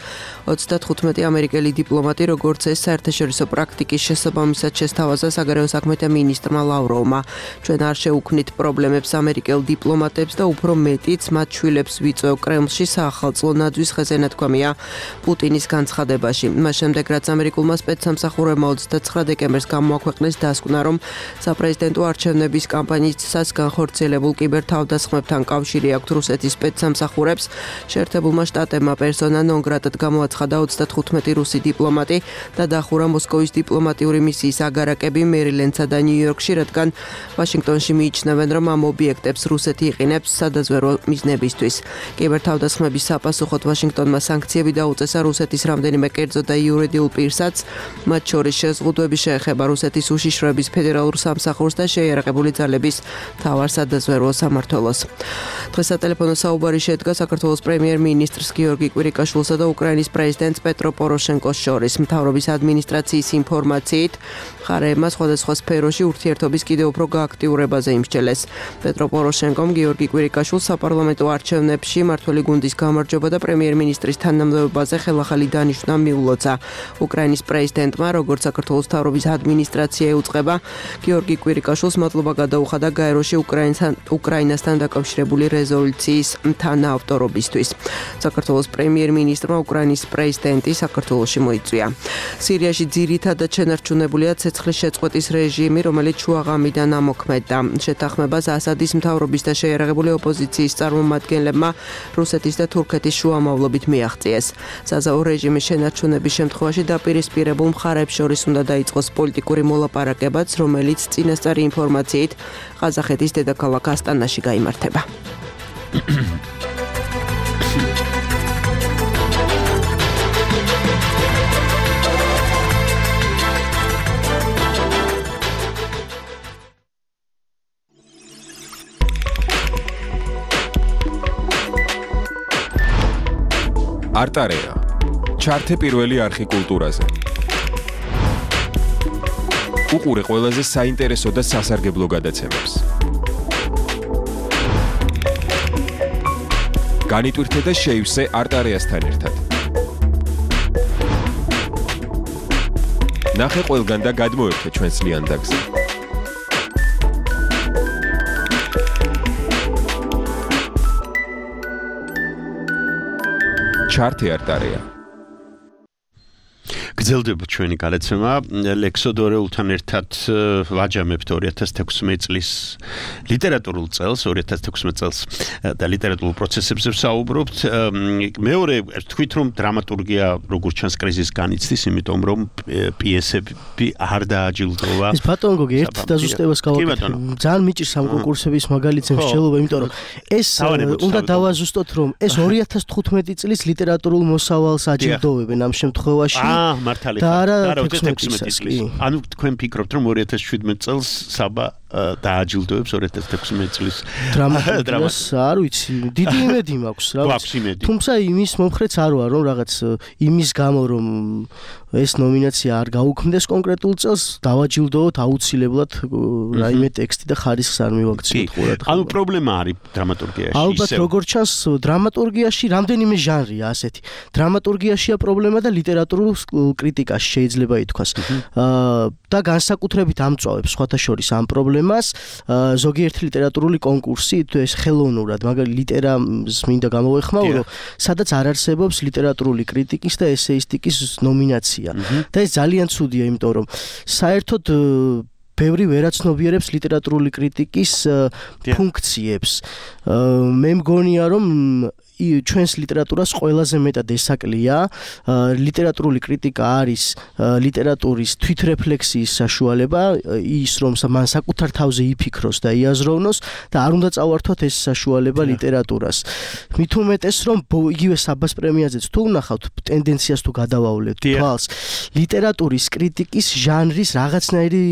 35 ამერიკელი დიპლომატი, როგორც ეს საერთაშორისო პრაქტიკის შესაბამისად შესთავაზა საგარეო საქმეთა მინისტრმა ლავროვმა. ჩვენ არ შევუქმნით პრობლემებს ამერიკელ დიპლომატებს და უფრო მეტიც მათ შვილებს ვიწვევ კრემლში საახალწლო ნაძვის ხეზე ნათქვამია პუტინის განცხადებაში. მას შემდეგ რაც ამერიკულმა სპეცსამსახურებმა 29 დეკემბერს გამოაქვეყნა ქვეყნის დასკვნა, რომ საპრეზიდენტო არჩევნების კამპანიისას განხორციელებულ კიბერთავდასხმებთან კავშირი აქვს რუსეთის სპეცსამსახურებს. შეერთებულმა შტატებმა პერსონა ნონ გრატად გამოაცხადა 35 რუსი დიპლომატი და დახურა მოსკოვის დიპლომატიური მისიის აგარაკები მერილენდსა და ნიუ-იორკში, რადგან ვაშინგტონში მიიჩნევენ, რომ ამ ობიექტებს რუსეთი იყინებს სადაზვერვო მიზნებისთვის. კიბერთავდასხმების საპასუხოდ ვაშინგტონმა სანქციები დაუწესა რუსეთის რამდენიმე კერძო და იურიდიულ პირსაც, მათ შორის შეზღუდვები შეეხება რუსეთის უშიშროების ფედერალურ სამსახურს და შეიარაღებული ძალების მთავარ სადაზვერვო სამმართველოს. დღეს სატელეფონო საუბარი შედგა საქართველოს პრემიერ-მინისტრს გიორგი კვირიკაშვილსა და უკრაინის პრეზიდენტს პეტრო პოროშენკოს შორის. მთავრობის ადმინისტრაციის ინფორმაციით, მხარეებმა სხვადასხვა სფეროში ურთიერთობის კიდევ უფრო გააქტიურებაზე იმსჯელეს. პეტრო პოროშენკომ გიორგი კვირიკაშვილს საპარლამენტო არჩევნებში მმართველი გუნდის გამარჯვება და პრემიერ-მინისტრის თანამდებობაზე ხელახალი დანიშვნა მიულოცა. უკრაინის პრეზიდენტმა, როგორც საქართველოს მთავრობის ადმინისტრაცია ეუწყება, გიორგი კვირიკაშვილს მადლობა გადაუხადა გაეროში უკრაინასთან დაკავშირებული რეზოლუციის თანაავტორობისთვის. საქართველოს პრემიერ-მინისტრმა უკრაინის პრეზიდენტი საქართველოში მოიწვია. სირიაში ძირითადად შენარჩუნებულია ცეცხლის შეწყვეტის რეჟიმი, რომელიც შუაღამიდან ამოქმედდა. შეთანხმებას ასადის მთავრობის და შეიარაღებული ოპოზიციის წარმომადგენლებმა რუსეთის და თურქეთის შუამავლობით მიაღწიეს. საზავო რეჟიმის შენარჩუნების შემთხვევაში დაპირისპირებულ მხარეებს შორის უნდა დაიწყოს პოლიტიკური მოლაპარაკებაც, რომელიც წინასწარი ინფორმაციით ყაზახეთის დედაქალაქ ასტანაში გაიმართება. არტარეა. ჩართე პირველი არხი კულტურაზე. უყურე ყველაზე საინტერესო და სასარგებლო გადაცემებს. განიტვირთე და შეივსე არტარეასთან ერთად. ნახე ყველგან და გადმოერთე ჩვენს ლიანდაგზე. ჩართე არტარეა. გრძელდება ჩვენი გადაცემა ლექსოდორეულთან ერთად ვაჯამებთ 2016 წლის ლიტერატურულ წელს 2016 წელს და ლიტერატურულ პროცესებზე ვსაუბრობთ. მეორე თქვით რომ დრამატურგია როგორც ჩანს კრიზისს განიცდის, იმიტომ რომ პიესები არ დააჯილდოვა. ეს ბატონო გოგი ერთ დაზუსტებას გავაკეთე. ძალიან მიჭირს ამ კონკურსების მაგალითზე მსჯელობა, იმიტომ რომ ეს უნდა დავაზუსტოთ რომ ეს 2015 წლის ლიტერატურულ მოსავალს აჯილდოვებენ ამ შემთხვევაში. მართალია. და 16 წლის. ანუ თქვენ ფიქრობთ რომ 2017 წელს საბა დააჯილდოებს 2016 წლის დრამატურგიას არ ვიცი, დიდი იმედი მაქვს რა. თუმცა იმის მომხრეც არ ვარ რომ რაღაც იმის გამო რომ ეს ნომინაცია არ გაუქმდეს კონკრეტულ წელს დავაჯილდოვოთ აუცილებლად რაიმე ტექსტი და ხარისხს არ მივაქციოთ ყურადღება. ანუ პრობლემა არის დრამატურგიაში. ალბათ როგორც ჩანს დრამატურგიაში რამდენიმე ჟანრია ასეთი. დრამატურგიაშია პრობლემა და ლიტერატურულ კრიტიკაში შეიძლება ითქვას. და განსაკუთრებით ამწვავებს სხვათა შორის ამ პრობლემას ზოგიერთი ლიტერატურული კონკურსი, ეს ხელოვნურად, მაგალითად ლიტერამს მინდა გამოვეხმაურო, სადაც არ არსებობს ლიტერატურული კრიტიკის და ესეისტიკის ნომინაცია. და ეს ძალიან ცუდია, იმიტომ რომ საერთოდ ბევრი ვერაცნობიერებს ლიტერატურული კრიტიკის ფუნქციებს. მე მგონია რომ ჩვენს ლიტერატურას ყველაზე მეტად ესაკლია ლიტერატურული კრიტიკა არის ლიტერატურის თვითრეფლექსიის საშუალება, ის რომ მან საკუთარ თავზე იფიქროს და იაზროვნოს და არ უნდა წავართოთ ეს საშუალება ლიტერატურას. მით უმეტეს რომ იგივე საბას პრემიაზეც თუ ვნახავთ ტენდენციას თუ გადავავლეთ თვალს, ლიტერატურის კრიტიკის ჟანრის რაღაცნაირი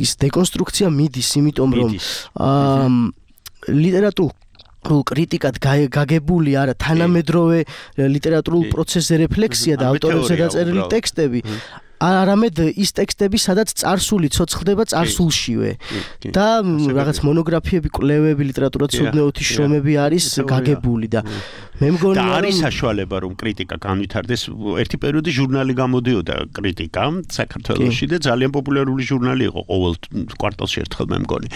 ის დეკონსტრუქცია მიდის, იმიტომ რომ ლიტერატურულ კრიტიკად გაგებული არა თანამედროვე ლიტერატურულ პროცესზე რეფლექსია და ავტორებზე დაწერილი ტექსტები, არამედ ის ტექსტები, სადაც წარსული ცოცხლდება წარსულშივე და რაღაც მონოგრაფიები, კვლევები, ლიტერატურათმცოდნეობის შრომები არის გაგებული და მე მგონია და არის საშუალება რომ კრიტიკა განვითარდეს. ერთი პერიოდი ჟურნალი გამოდიოდა კრიტიკა საქართველოში და ძალიან პოპულარული ჟურნალი იყო, ყოველ კვარტალში ერთხელ მე მგონი.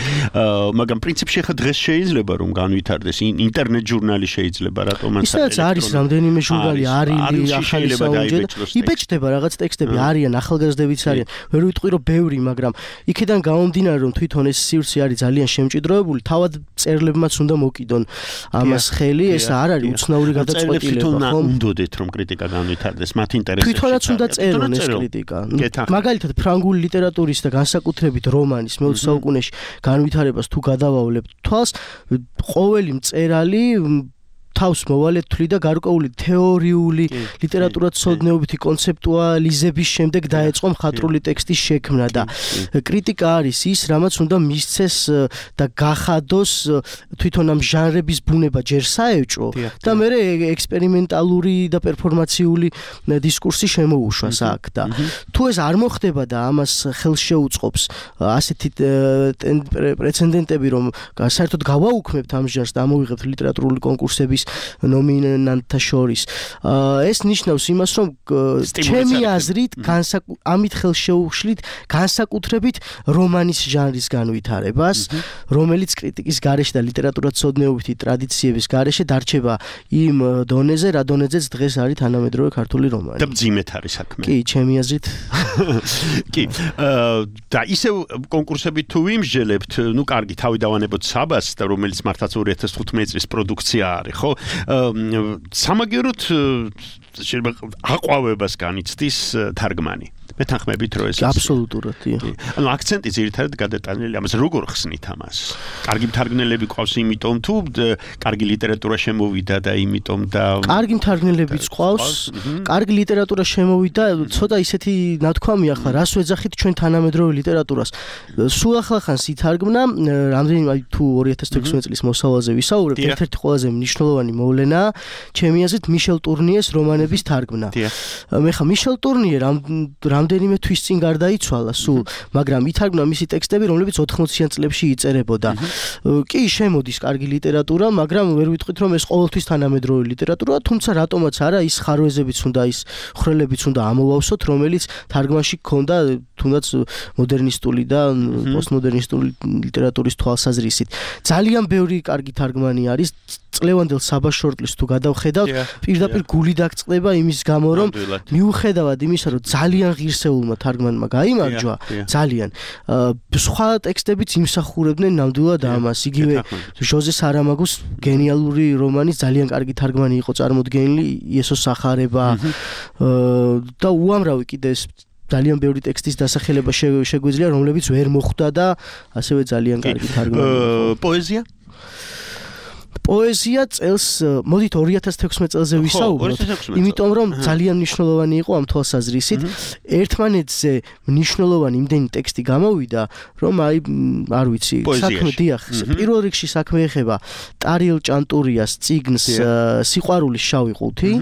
მაგრამ პრინციპში ხა დღეს შეიძლება რომ განვითარდეს ინტერნეტ ჟურნალი შეიძლება რატომაც არის რამდენიმე ჟურნალი არის ახალი საუნჯე იბეჭდება რაღაც ტექსტები არიან ახალგაზრდებიც არიან. ვერ ვიტყვი რომ ბევრი, მაგრამ იქიდან გამომდინარე რომ თვითონ ეს სივრცე არის ძალიან შემჭიდროებული, თავად წერლებმაც უნდა მოკიდონ ამას ხელი, ეს არ არის უცნაური გადაწყვეტილება, ხო? უნდოდეთ რომ კრიტიკა განვითარდეს, მათ ინტერესებში. თვითონაც უნდა წერონ ეს კრიტიკა. მაგალითად ფრანგული ლიტერატურის და განსაკუთრებით რომანის მე-20 საუკუნეში განვითარებას თუ გადავავლებთ თვალს, ყოველი მწერალი თავს მოვალეთ თვლი და გარკვეული თეორიული ლიტერატურათმცოდნეობითი კონცეპტუალიზების შემდეგ დაეწყო მხატვრული ტექსტის შექმნა და კრიტიკა არის ის, რამაც უნდა მისცეს და გახადოს თვითონ ამ ჟანრების ბუნება ჯერ საეჭვო და მერე ექსპერიმენტალური და პერფორმაციული დისკურსი შემოუშვას აქ და თუ ეს არ მოხდება და ამას ხელს შეუწყობს ასეთი პრეცედენტები, რომ საერთოდ გავაუქმებთ ამ ჟანრს და ამოვიღებთ ლიტერატურული კონკურსების ნომინანტთა შორის. ეს ნიშნავს იმას, რომ ჩემი აზრით ამით ხელს შეუშლით განსაკუთრებით რომანის ჟანრის განვითარებას, რომელიც კრიტიკის გარეშე და ლიტერატურათმცოდნეობითი ტრადიციების გარეშე დარჩება იმ დონეზე, რა დონეზეც დღეს არის თანამედროვე ქართული რომანი. და მძიმედ არის საქმე. კი, ჩემი აზრით. კი. და ისევ კონკურსები თუ ვიმსჯელებთ, ნუ კარგი, თავი დავანებოთ საბას და რომელიც მართლაც 2015 წლის პროდუქცია არის, ხო? სამაგიეროდ შეიძლება აყვავებას განიცდის თარგმანი. მეთანხმებით რომ ეს აბსოლუტურად დიახ. ანუ აქცენტი ძირითადად გადატანილი ამას როგორ ხსნით ამას? კარგი მთარგმნელები ყავს იმიტომ თუ კარგი ლიტერატურა შემოვიდა და იმიტომ და კარგი მთარგმნელებიც ყავს, კარგი ლიტერატურა შემოვიდა, ცოტა ისეთი ნათქვამია ხა, რას ვეძახით ჩვენ თანამედროვე ლიტერატურას. სულ ახლახანს ითარგმნა, რამდენიმე თუ 2016 წლის მოსავალზე ვისაუბრებთ, ერთ-ერთი ყველაზე მნიშვნელოვანი მოვლენა, ჩემი აზრით მიშელ ტურნიეს რომანების თარგმნა. მე ხა მიშელ ტურნიე რამდენიმე თვის წინ გარდაიცვალა სულ, მაგრამ ითარგმნა მისი ტექსტები, რომლებიც 80-იან წლებში იწერებოდა. კი, შემოდის კარგი ლიტერატურა, მაგრამ ვერ ვიტყვით რომ ეს ყოველთვის თანამედროვე ლიტერატურაა, თუმცა რატომაც არა ის ხარვეზებიც უნდა, ის ხრელებიც უნდა ამოვავსოთ, რომელიც თარგმანში გქონდა თუნდაც მოდერნისტული და პოსტმოდერნისტული ლიტერატურის თვალსაზრისით. ძალიან ბევრი კარგი თარგმანი არის. წლევანდელ საბას შორტლისტს თუ გადავხედავთ, პირდაპირ გული დაგწყდება იმის გამო, რომ მიუხედავად იმისა, რომ ძალიან ღირსეულმა თარგმანმა გაიმარჯვა, ძალიან სხვა ტექსტებიც იმსახურებდნენ ნამდვილად ამას. იგივე ჟოზე სარამაგოს გენიალური რომანის ძალიან კარგი თარგმანი იყო წარმოდგენილი, იესოს სახარება და უამრავი კიდე ძალიან ბევრი ტექსტის დასახელება შეგვიძლია, რომლებიც ვერ მოხვდა და ასევე ძალიან კარგი თარგმანი იყო. პოეზია? პოეზია წელს მოდით 2016 წელზე ვისაუბროთ, იმიტომ რომ ძალიან მნიშვნელოვანი იყო ამ თვალსაზრისით. ერთმანეთზე მნიშვნელოვანი იმდენი ტექსტი გამოვიდა, რომ აი არ ვიცი, საქმე დიახ, პირველ რიგში საქმე ეხება ტარიელ ჭანტურიას წიგნს სიყვარულის შავი ყუთი,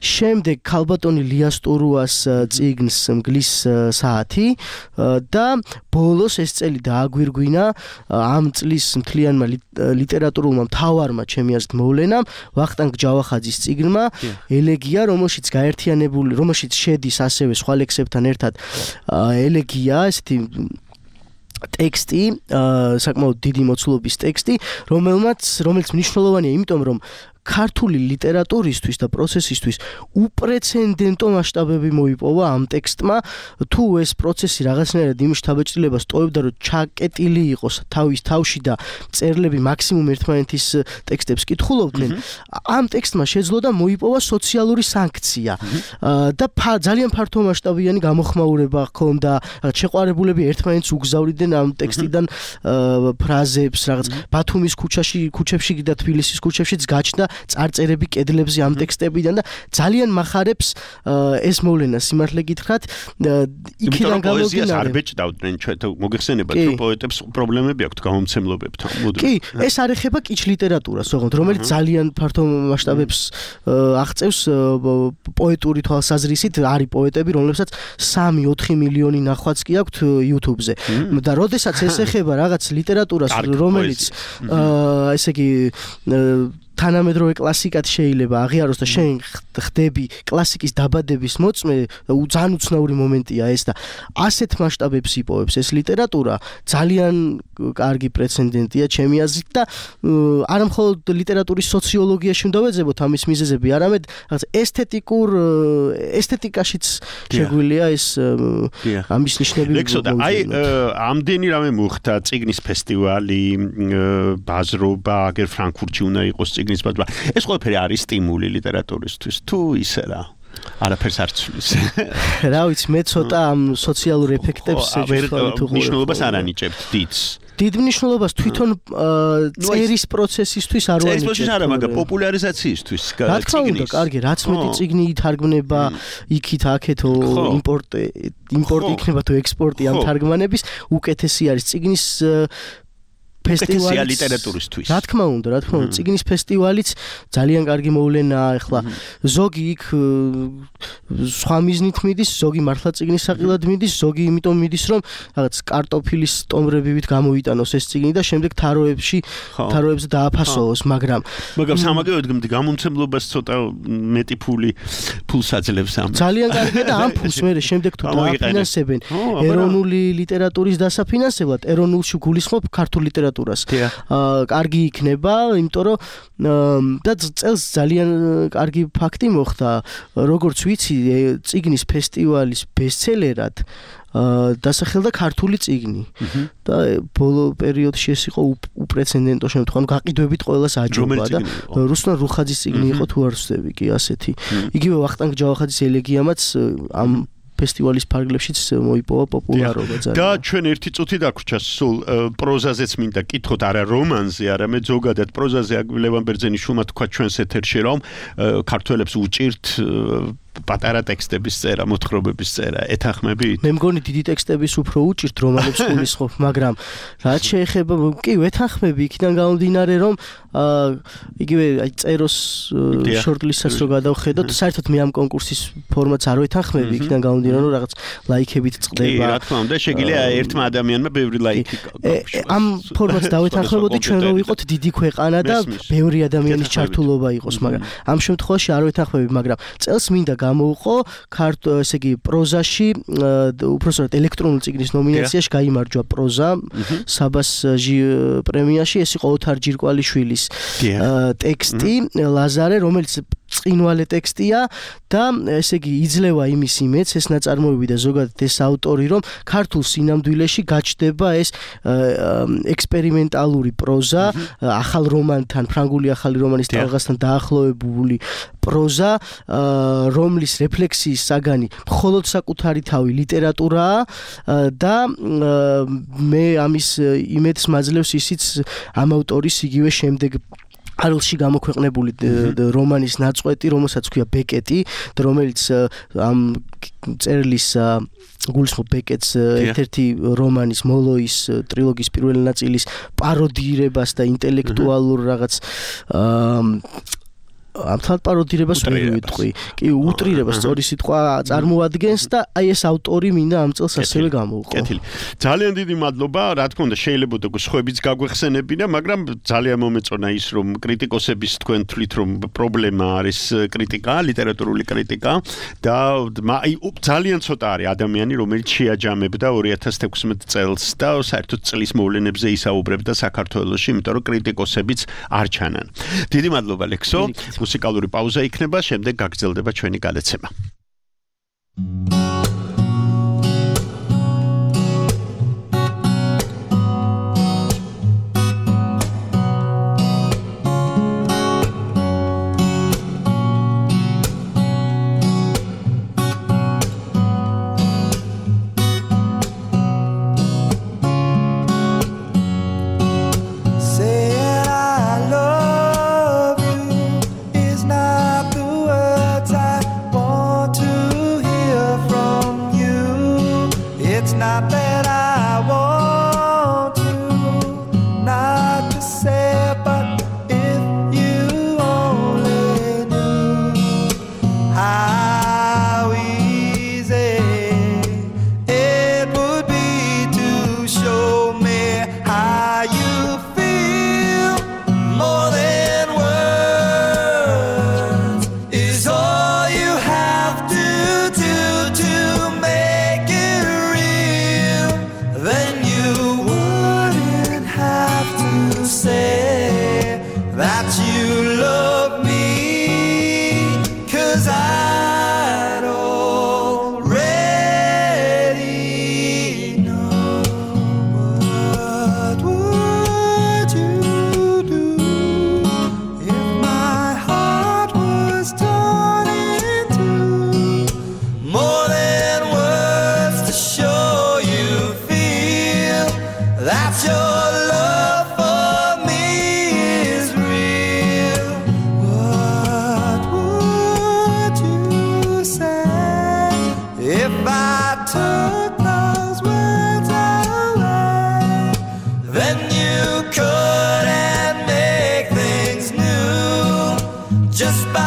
შემდეგ ქალბატონი ლიას ტურუას წიგნს მგლის საათი და ბოლოს ეს წელი დააგვირგვინა ამ წლის მთლიანმა ლიტერატურულმა მთავარმა ჩემი აზრით მოვლენამ ვახტანგ ჯავახაძის წიგნმა ელეგია, რომელშიც შედის ასევე სხვა ლექსებთან ერთად ელეგია, ესეთი ტექსტი, საკმაოდ დიდი მოცულობის ტექსტი, რომელიც მნიშვნელოვანია, იმიტომ რომ ქართული ლიტერატურისთვის და პროცესისთვის უპრეცედენტო მასშტაბები მოიპოვა ამ ტექსტმა. თუ ეს პროცესი რაღაცნაირად იმის შთაბეჭდილებას ტოვებდა, რომ ჩაკეტილი იყოს თავის თავში და მწერლები მაქსიმუმ ერთმანეთის ტექსტებს კითხულობდნენ, ამ ტექსტმა შეძლო და მოიპოვა სოციალური სანქცია და ძალიან ფართო მასშტაბიანი გამოხმაურება ჰქონდა, შეყვარებულები ერთმანეთს უგზავრიდნენ ამ ტექსტიდან ფრაზებს, რაღაც ბათუმის ქუჩებში და თბილისის ქუჩებშიც გაჩნდა წარწერები კედლებზე ამ ტექსტებიდან და ძალიან მახარებს ეს მოვლენა სიმართლე გითხრათ. იქიდან გამომდინარე არ ბეჭდავდნენ ჩვენ მოგეხსენება თუ პოეტებს პრობლემები აქვთ გამომცემლობებთან. კი, ეს არ ეხება კიჩ ლიტერატურას, რომელიც ძალიან ფართო მასშტაბებს აღწევს პოეტური თვალსაზრისით. არის პოეტები, რომლებსაც 3-4 მილიონი ნახვაც კი აქვთ YouTube-ზე. და როდესაც ეს ეხება რაღაც ლიტერატურას, რომელიც ესე იგი თანამედროვე კლასიკად შეიძლება აღიაროს და შენ ხდები კლასიკის დაბადების მოწმე, ძალიან უცნაური მომენტია ეს და ასეთ მასშტაბებს იპოვებს ეს ლიტერატურა, ძალიან კარგი პრეცედენტია ჩემი აზრით და არა მხოლოდ ლიტერატურის სოციოლოგიაში უნდა ვეძებოთ ამის მიზეზები, არამედ რაღაც ესთეტიკაშიც შეგვიძლია ეს ამის ნიშნები. ლექსოდა, აი ამდენი რამე მოხდა, წიგნის ფესტივალი, ბაზრობა, აგერ ფრანკფურტში უნდა იყოს წიგნის ბაზრობა. ეს ყველაფერი არის სტიმული ლიტერატურისთვის თუ ისე რა? არაფერს არ ცვლის. რა ვიცი, მე ცოტა ამ სოციალურ ეფექტებს მნიშვნელობას არ ანიჭებთ დიდს. დიდ მნიშვნელობას თვითონ წერის პროცესისთვის არ ვანიჭებ. წერის პროცესის არა, მაგრამ პოპულარიზაციისთვის რა თქმა უნდა, კარგი, რაც მეტი წიგნი ითარგმნება იქით აქეთ იმპორტი იქნება თუ ექსპორტი ამ თარგმანების, უკეთესი არის წიგნის ფესტივალი ლიტერატურისთვის. რა თქმა უნდა, წიგნის ფესტივალიც ძალიან კარგი მოვლენაა, ახლა ზოგი იქ სხვა მიზნით მიდის, ზოგი მართლა წიგნის საყიდად მიდის, ზოგი იმიტომ მიდის, რომ რაღაც კარტოფილის სტომრებივით გამოიტანოს ეს წიგნი და შემდეგ თაროებზე დააფასოოს, მაგრამ სამაგეროდ გამომცემლობას ცოტა მეტი ფულს აძლევს ამ. ძალიან კარგია და ამ ფულს მე შემდეგ თუ დააფინანსებენ ეროვნული ლიტერატურის დასაფინანსებლად, ეროვნულში გულისხმობ ქართულ ლიტერატურას. კარგი იქნება, იმიტომ რომ და წელს ძალიან კარგი ფაქტი მოხდა, როგორც ვიცი, წიგნის ფესტივალის ბესტსელერად დასახელდა ქართული წიგნი და ბოლო პერიოდში ეს იყო უპრეცედენტო შემთხვევა, გაყიდვებით ყველას აჯობა და რუსლან რუხაძის წიგნი იყო თუ არ ვცდები კი ასეთი. იგივე ვახტანგ ჯავახაძის ელეგიამაც ამ ფესტივალის ფარგლებშიც მოიპოვა პოპულარობა ძალიან. და ჩვენ ერთი წუთი დაგვრჩა სულ პროზაზეც მინდა კითხოთ, არა რომანზე, არამედ ზოგადად პროზაზე ლევან ბერძენიშვილმა თქვა ჩვენს ეთერში, რომ ქართველებს უჭირთ პატარა ტექსტების წერა, მოთხრობების წერა, ეთანხმებით? მე მგონი დიდი ტექსტების უფრო უჭირთ რომანებს გულისხმობ, მაგრამ რაც შეეხება, კი ვეთანხმები იქიდან გამომდინარე, რომ იგივე აი წეროს შორტლისტსაც რო გადავხედოთ, საერთოდ მე ამ კონკურსის ფორმატს არ ვეთანხმები იქიდან გამომდინარე, რომ რაღაც ლაიქებით წყდება. კი, რა თქმა უნდა, შეგიძლია ერთმა ადამიანმა ბევრი ლაიქი ამ ფორმატს დავეთანხმებოდი ჩვენ რო ვიყოთ დიდი ქვეყანა და ბევრი ადამიანის ჩართულობა იყოს, მაგრამ ამ შემთხვევაში არ ვეთანხმები, მაგრამ წელს მინდა გამოვყო ესე იგი პროზაში, უბრალოდ ელექტრონულ წიგნის ნომინაციაში გაიმარჯვა პროზა საბას პრემიაში, ეს იყო ოთარ ჯირკვალიშვილის ტექსტი ლაზარე, რომელიც წინვალე ტექსტია და ესე იგი იძლევა იმის იმედს ეს ნაწარმოები და ზოგადად ეს ავტორი, რომ ქართულ სინამდვილეში გაჩნდება ეს ექსპერიმენტალური პროზა, ახალ რომანთან, ფრანგული ახალი რომანის ტალღასთან დაახლოებული პროზა, რომლის რეფლექსიის საგანი მხოლოდ საკუთარი თავი ლიტერატურაა და მე ამის იმედს მაძლევს ისიც ამ ავტორის იგივე შემდეგ არლში გამოქვეყნებული რომანის ნაწყვეტი, რომელსაც ქვია ბეკეტი, რომელიც ამ წერლის გულისხმობ ბეკეტს ერთ-ერთი რომანის მოლოის ტრილოგიის პირველი ნაწილის პაროდირებას და ინტელექტუალურ რაღაც ამთან პაროდირებას ვერ ვიტყვი. კი, უტრირებას სწორი სიტყვა წარმოადგენს და აი ეს ავტორი მინდა ამ წელს ასევე გამოვყო. კეთილი. ძალიან დიდი მადლობა, რა თქმა უნდა, შეიძლება სხვაებიც გაგვეხსენებინა, მაგრამ ძალიან მომეწონა ის, რომ კრიტიკოსების თქვენ თვლით, რომ პრობლემა არის კრიტიკა, ლიტერატურული კრიტიკა და აი ძალიან ცოტა არის ადამიანი, რომელიც შეაჯამებდა 2016 წელს და საერთოდ წლის მოვლენებზე ისაუბრებდა საქართველოში, იმიტომ რომ კრიტიკოსებიც არ ჩანან. დიდი მადლობა ლექსო. მუსიკალური პაუზა იქნება, შემდეგ გაგრძელდება ჩვენი გადაცემა. More than words. I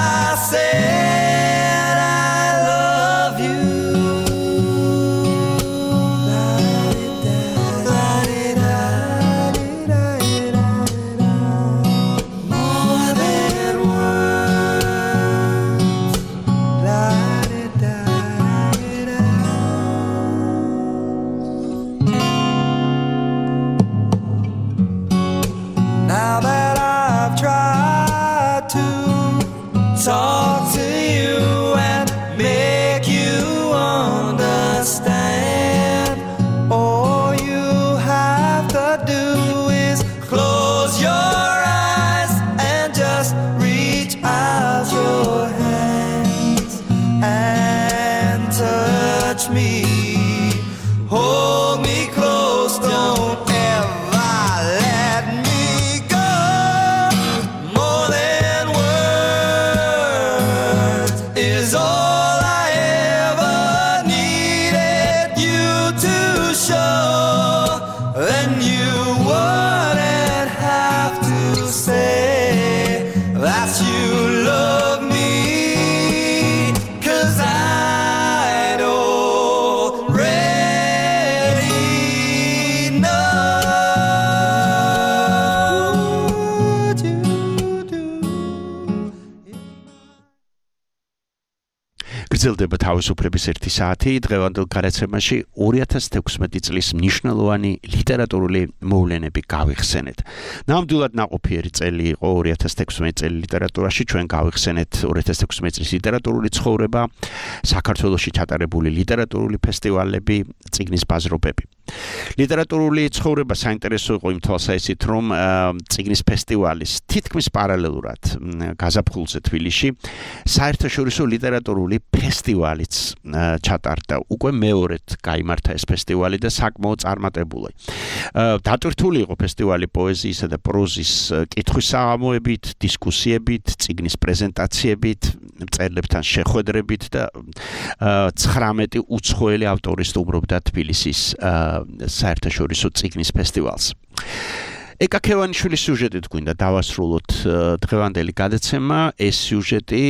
said I love you. More than words. Now that I've tried to talk to you and make you understand, all you have to do is close your eyes and just reach out your hands and touch me, hold me close, don't ever let me go. More than words is all I ever needed you to show. Then you wouldn't have to say that you love me, 'cause I'd already know. გრძელდება თავისუფლების 1 საათი დღევანდელ გარაცემაში 2016 წლის მნიშვნელოვანი ლიტერატურული მოვლენები გავიხსენეთ. ნამდვილად ნაყოფიერი წელი იყო 2016 წელი ლიტერატურაში. ჩვენ გავიხსენეთ 2016 წლის ლიტერატურული ცხოვრება, საქართველოში ჩატარებული ლიტერატურული ფესტივალები, წიგნის ბაზრობები. ლიტერატურული ცხოვრება საინტერესო იყო იმ თვალსაზრისით, რომ წიგნის ფესტივალის თითქმის პარალელურად გაზაფხულზე თბილისში საერთაშორისო ლიტერატურული ფესტივალიც ჩატარდა. უკვე მეორედ გაიმართა ეს ფესტივალი და საკმაოდ წარმატებული. დატვირთული იყო ფესტივალი პოეზიისა და პროზის კითხვის საღამოებით, დისკუსიებით, წიგნის პრეზენტაციებით, მწერლებთან შეხვედრებით და 19 უცხოელი ავტორი სტუმრობდა თბილისის საერთაშორისო წიგნის ფესტივალს. ეკა ქევანიშვილის სიუჟეტით გვინდა დავასრულოთ დღევანდელი გადაცემა. ეს სიუჟეტი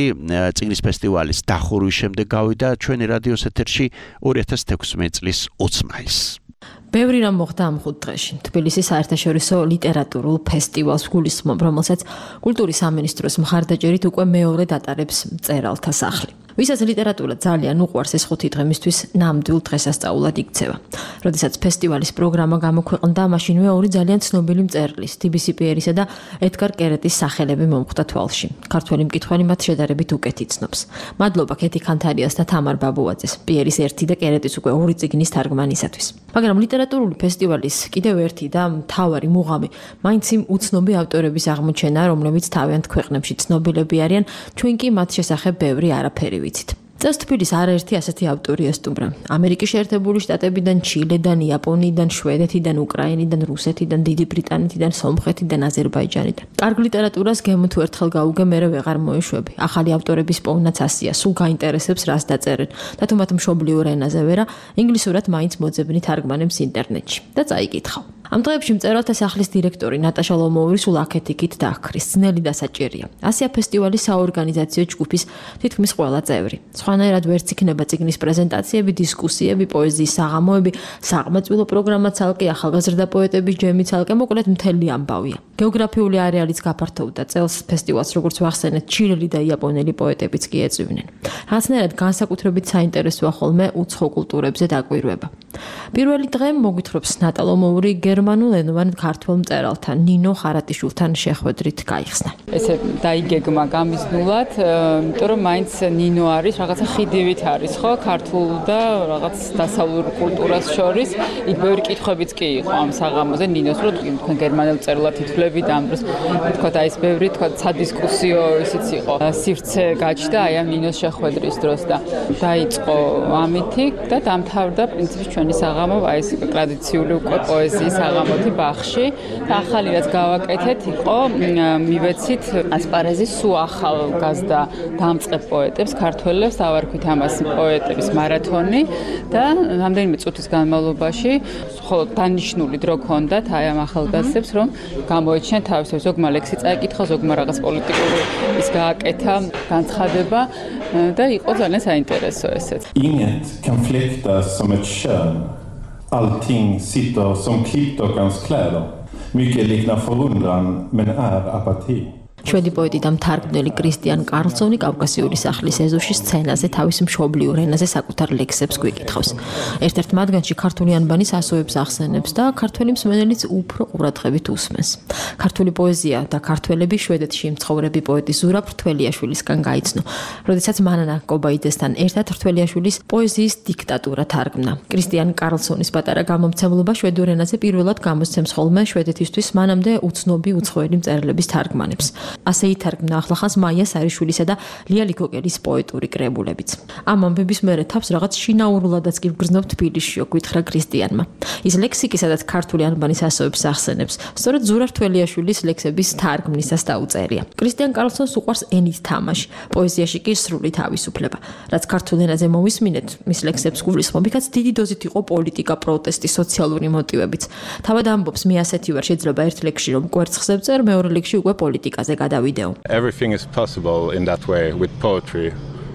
წიგნის ფესტივალის დახურვის შემდეგ გავიდა ჩვენი რადიოს ეთერში 2016 წლის 20 მაისს. ბევრი რამ მოხდა ამ 5 დღეში. თბილისის საერთაშორისო ლიტერატურულ ფესტივალს გულისხმობ, რომელსაც კულტურის სამინისტროს მხარდაჭერით უკვე მეორედ ატარებს მწერალთა სახლი. ვისაც ლიტერატურა ძალიან უყვარს, ეს 5 დღე მისთვის ნამდვილ დღესასწაულად იქცევა. როდესაც ფესტივალის პროგრამა გამოქვეყნდა, მაშინვე ორი ძალიან ცნობილი მწერლის, TBC პიერისა და ედგარ კერეტის სახელები მომხვდა თვალში. ქართველი მკითხველი მათ შედარებით უკეთ იცნობს. მადლობა კეთი ქანთარიას და თამარ ბაბუაძეს, პიერის 1 და კერეტის უკვე 2 წიგნის თარგმანისათვის. მაგრამ ლიტერატურული ფესტივალის კიდევ ერთი და მთავარი მუღამი მაინც იმ უცნობი ავტორების აღმოჩენა, რომლებიც თავიანთ ქვეყნებში ცნობილები არიან, ჩვენ კი მათ შესახებ ბევრი არაფერი ვიცით. წელს თბილისს არაერთი ასეთი ავტორი ესტუმრა. ამერიკის შეერთებული შტატებიდან, ჩილედან, იაპონიიდან, შვედეთიდან, უკრაინიდან, რუსეთიდან, დიდი ბრიტანეთიდან, სომხეთიდან, აზერბაიჯანიდან. კარგ ლიტერატურას გემო თუ ერთხელ გაუგე, მერე ვეღარ მოეშვები. ახალი ავტორების პოვნაც ასია, სულ გაინტერესებს რას დაწერენ და თუ მათ მშობლიურ ენაზე ვერა, ინგლისურად მაინც მოძებნი თარგმანებს ინტერნეტში და წაიკითხავ. ამ დღეებში მწერალთა სახლის დირექტორი ნატაშა ლომოვი სულ აქეთ-იქით დააქრის, ძნელი და საჭირია. ასია ფესტივალის საორგანიზაციო ჯგუფის თითქმის ყველა წევრი. სხვანაირად ვერც იქნება წიგნის პრეზენტაციები, დისკუსიები, პოეზიის საღამოები, საყმაწვილო პროგრამა ცალკე, ახალგაზრდა პოეტების ჯემი ცალკე, მოკლედ მთელი ამბავია. გეოგრაფიული არეალიც გაფართოვდა. წელს ფესტივალს, როგორც ვახსენეთ, ჩილელი და იაპონელი პოეტებიც კი ეწვივნენ. რაღაცნაირად განსაკუთრებით საინტერესოა ხოლმე უცხო კულტურებზე დაკვირვება. პირველი დღე მოგვითხრობს ნატა ლომოვი გერმანულენოვან ქართველ მწერალთან ნინო ხარატიშვილთან შეხვედრით გაიხსნა. ესე დაიგეგმა გამიზნულად, იმიტომ რომ მაინც ნინო არის რაღაცა ხიდივით არის, ხო, ქართულ და რაღაც დასავლურ კულტურას შორის. იქ ბევრი კითხვებიც კი იყო ამ საღამოზე ნინოს, რომ თქვენ გერმანელ მწერლად ითვლებით ამ დროს. თქვათ აი ეს ბევრი თქვათ სადისკუსიო ისიც იყო. სივრცე გაჩნდა აი ამ ნინოს შეხვედრის დროს და დაიწყო ამითი და დამთავრდა პრინციპში ჩვენი ჩემი საღამო აი ეს ტრადიციული უკვე პოეზიის საღამოთი ბაღში და ახალი რაც გავაკეთეთ იყო მივეცით ასპარეზის სულ ახალგაზრდა დამწყებ პოეტებს ქართველებს დავარქვით ამას პოეტების მარათონი და რამდენიმე წუთის განმავლობაში ხოლო დანიშნული დრო ჰქონდათ აი ამ ახალგაზრდებს რომ გამოეჩინათ თავის ზოგმა ლექსი წაიკითხა ზოგმა რაღაც პოლიტიკური ის გააკეთა განცხადება და იყო ძალიან საინტერესო ესეც. Inget kan fläktas som ett kön. Allting sitter som klippt och hans kläder. Mycket liknar förundran men är apati. შვედი პოეტი და მთარგმნელი კრისტიან კარლსონი კავკასიური სახლის ეზოში სცენაზე თავის მშობლიურ ენაზე საკუთარ ლექსებს გვიკითხავს. ერთ-ერთ მათგანში ქართული ანბანის ასოებს ახსენებს და ქართველი მსმენელიც უფრო ყურადღებით უსმენს. ქართული პოეზია და ქართველები შვედეთში მცხოვრები პოეტი ზურა ფრთველიაშვილისგან გაიცნო, როდესაც მანანა კობაიძესთან ერთად ფრთველიაშვილის პოეზიის დიქტატურა თარგმნა. კრისტიან კარლსონის პატარა გამომცემლობა შვედურ ენაზე პირველად გამოსცემს ხოლმე შვედეთისთვის მანამდე უცნობი უცხოელი მწერლების თარგმანებს. ასე ითარგმნა ახლახანს მაია სარიშვილისა და ლია ლიქოკელის პოეტური კრებულებიც. ამ ამბების მერე თავს რაღაც შინაურულადაც კი ვგრძნობ თბილისშიო, გითხრა კრისტიანმა. ის ლექსიკი, სადაც ქართული ანბანის ასოებს ახსენებს, სწორედ ზურა ფრთველიაშვილის ლექსების თარგმნისას დაუწერია. კრისტიან კარლსონს უყვარს ენით თამაში, პოეზიაში კი სრული თავისუფლება. რაც ქართულ ენაზე მოვისმინეთ, მის ლექსებს გულისხმობიქაც დიდი დოზით იყო პოლიტიკა, პროტესტი, სოციალური მოტივებიც. თავად ამბობს, მე ასეთი ვარ, შეიძლება ერთ ლექსში რომ კვერცხზე ვწერ, მეორე ლექსში უკვე პოლიტიკაზე გადავიდეო. Everything is possible in that way with poetry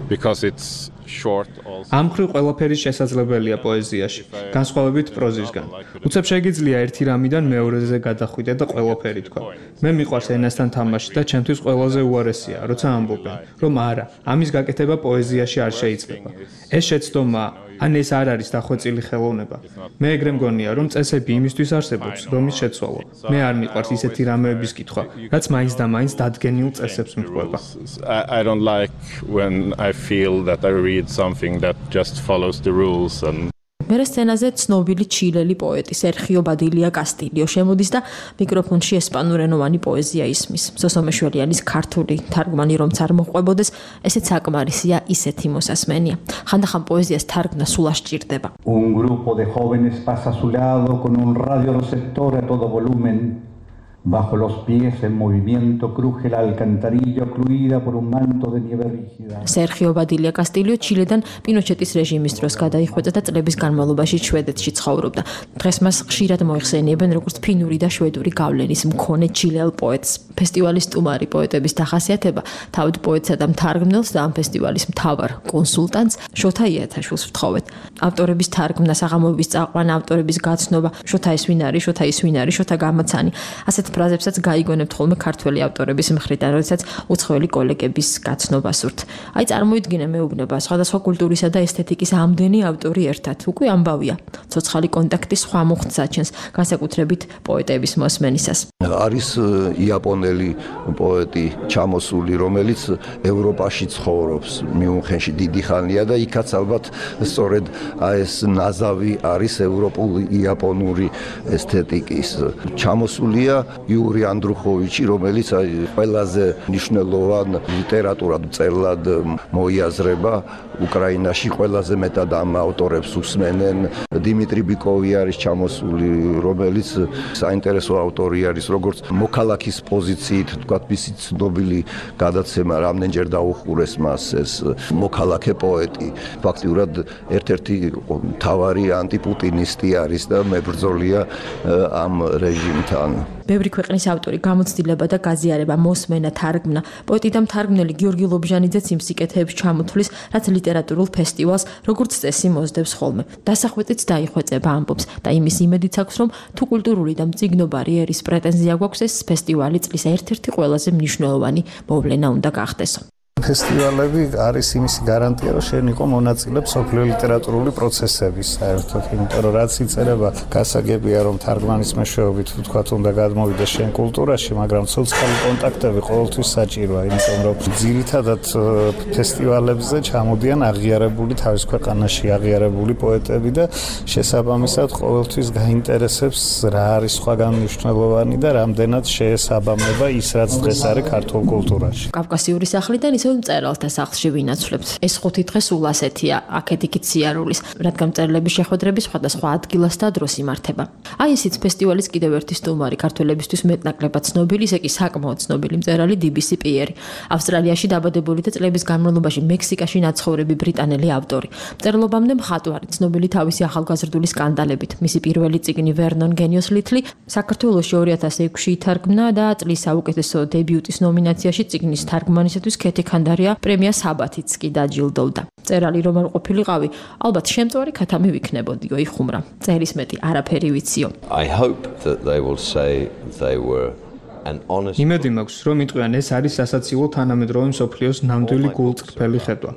because it's short also. ამ მხრივ ყველაფერი შესაძლებელია პოეზიაში, განსხვავებით პროზისგან. უცებ შეგიძლია ერთი რამიდან მეორეზე გადახვიდე და ყველაფერი თქვა. მე მიყვარს ენასთან თამაში და ჩემთვის ყველაზე უარესია, როცა ამბობენ, რომ არა, ამის გაკეთება პოეზიაში არ შეიძლება. ეს შეცდომა ან ეს არ არის დახვეწილი ხელოვნება. მე ეგრე მგონია, რომ წესები იმისთვის არსებობს, რომ ის შეცვალო. მე არ მიყვარს ისეთი რამეების კითხვა, რაც მაინც და მაინც დადგენილ წესებს მიჰყვება. I don't like when I feel that I read something that just follows the rules and მერე სცენაზე ცნობილი ჩილელი პოეტი სერხიო ბადილია კასტილიო შემოდის და მიკროფონში ესპანურენოვანი პოეზია ისმის. სოსო მეშველიანის ქართული თარგმანი რომც არ მოყვებოდეს, ესეც საკმარისია ისეთი მოსასმენია. ხანდახან პოეზიას თარგმნა სულ არ სჭირდება. Un grupo de jóvenes pasa a su lado con un radio receptor a todo volumen. Bajo los pies en movimiento cruje la alcantarilla ocluida por un manto de nieve rígida. Sergio Badilla Castillo ჩილედან პინოჩეტის რეჟიმის დროს გადაიხვეწა და წლების განმავლობაში შვედეთში ცხოვრობდა. დღეს მას ხშირად მოიხსენიებენ როგორც ფინური და შვედური გავლენის მქონე ჩილელ პოეტს. ფესტივალის სტუმარი პოეტების დახასიათება თავად პოეტსა და მთარგმნელს და ამ ფესტივალის მთავარ კონსულტანტს შოთა იათაშვილს ვთხოვეთ. ავტორების თარგმნა, საღამოების წაყვანა, ავტორების გაცნობა, შოთა ის ვინ არის, შოთა ის ვინ არის, შოთა გამაცანი. ასეთ ფრაზებსაც გაიგონებთ ხოლმე ქართველი ავტორების მხრიდან, როდესაც უცხოელი კოლეგების გაცნობას ვრთ. აი წარმოიდგინე მეუბნება, სხვადასხვა კულტურისა და ესთეტიკის ამდენი ავტორი ერთად. უკვე ამბავია. ცოცხალი კონტაქტი სხვა მუხტს აჩენს, განსაკუთრებით პოეტების მოსმენისას. არის იაპონელი პოეტი ჩამოსული, რომელიც ევროპაში ცხოვრობს, მიუნხენში დიდი ხანია და იქაც ალბათ სწორედ ეს ნაზავი არის ევროპული იაპონური ესთეტიკის. ჩამოსულია იური ანდრუხოვიჩი, რომელიც ყველაზე მნიშვნელოვან ლიტერატურად მწერლად მოიაზრება უკრაინაში, ყველაზე მეტად ამ ავტორებს უსმენენ. დიმიტრი ბიკოვი არის ჩამოსული, რომელიც საინტერესო ავტორი არის, როგორც მოქალაქის პოზიციით, თქვათ, მისი ცნობილი გადაცემა რამდენჯერ დაუხურეს მას ეს მოქალაქე პოეტი. ფაქტიურად ერთ-ერთი მთავარი ანტიპუტინისტი არის და მებრძოლია ამ რეჟიმთან. ბევრი ქვეყნის ავტორი გამოცდილება და გაზიარება, მოსმენა, თარგმნა. პოეტი და მთარგმნელი გიორგი ლობჟანიძეც იმ სიკეთეებს ჩამოთვლის, რაც ლიტერატურულ ფესტივალს როგორც წესი მოსდევს ხოლმე. დასახვეწიც დაიხვეწება ამბობს და იმის იმედიც აქვს, რომ თუ კულტურული და მწიგნობარი ერის პრეტენზია გვაქვს, ეს ფესტივალი წლის ერთ-ერთი ყველაზე მნიშვნელოვანი მოვლენა უნდა გახდესო. ფესტივალები არის იმისი გარანტია, რომ შენ იყო მონაწილე სოფლიო ლიტერატურული პროცესების საერთოდ, იმიტომ რომ რაც იწერება, გასაგებია რომ თარგმანის მეშვეობით თქვათ უნდა გადმოვიდეს შენ კულტურაში, მაგრამ სოციალური კონტაქტები ყოველთვის საჭიროა, იმიტომ რომ ძირითადად ფესტივალებზე ჩამოდიან აღიარებული თავის ქვეყანაში აღიარებული პოეტები და შესაბამისად ყოველთვის გაინტერესებს რა არის სხვაგან მნიშვნელოვანი და რამდენად შეესაბამება ის, რაც დღეს არის ქართულ კულტურაში. კავკასიური სახლიდან ისევ თითოეულ მწერალთა სახლში ვინაცვლებთ. ეს 5 დღე სულ ასეთია, აქეთ-იქით სიარულის, რადგან მწერლების შეხვედრები სხვადასხვა ადგილას და დროს იმართება. აი ისიც ფესტივალის კიდევ ერთი სტუმარი, ქართველებისთვის მეტნაკლებად ცნობილი, ისე კი საკმაოდ ცნობილი მწერალი DBC პიერი. ავსტრალიაში დაბადებული და წლების განმავლობაში მექსიკაში ნაცხოვრები ბრიტანელი ავტორი. მწერლობამდე მხატვარი, ცნობილი თავისი ახალგაზრდული სკანდალებით. მისი პირველი წიგნი Vernon Genius Little საქართველოში 2006-ში ითარგმნა და წლის საუკეთესო დებიუტის ნომინაციაში წიგნის თარგმანისათვის ქეთი ხანდარია პრემია საბათიც კი დაჯილდოვდა. მწერალი რომ არ ყოფილიყავი, ალბათ შემწვარი ქათამი ვიქნებოდიო, იხუმრა. წერის მეტი არაფერი ვიციო. I hope that they will say they were იმედი მაქვს, რომ იტყვიან ეს არის სასაცილო თანამედროვე მსოფლიოს ნამდვილი გულწრფელი ხედვა.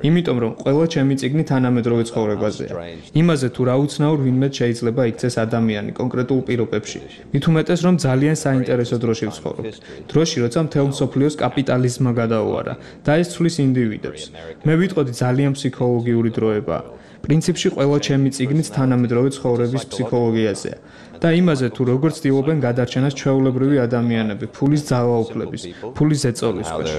იმიტომ რომ ყველა ჩემი წიგნი თანამედროვე ცხოვრებაზეა. იმაზე თუ რა უცნაურ ვინმე შეიძლება იქცეს ადამიანი კონკრეტულ პირობებში. მით უმეტეს რომ ძალიან საინტერესო დროში ვცხოვრობთ. დროში, როცა მთელ მსოფლიოს კაპიტალიზმმა გადაუარა და ეს ცვლის ინდივიდებს. მე ვიტყოდი ძალიან ფსიქოლოგიური დროება. პრინციპში ყველა ჩემი წიგნიც თანამედროვე ცხოვრების ფსიქოლოგიაზეა. და იმაზე თუ როგორ ცდილობენ გადარჩენას ჩვეულებრივი ადამიანები, ფულის ძალაუფლების, ფულის ზეწოლის ქვეშ.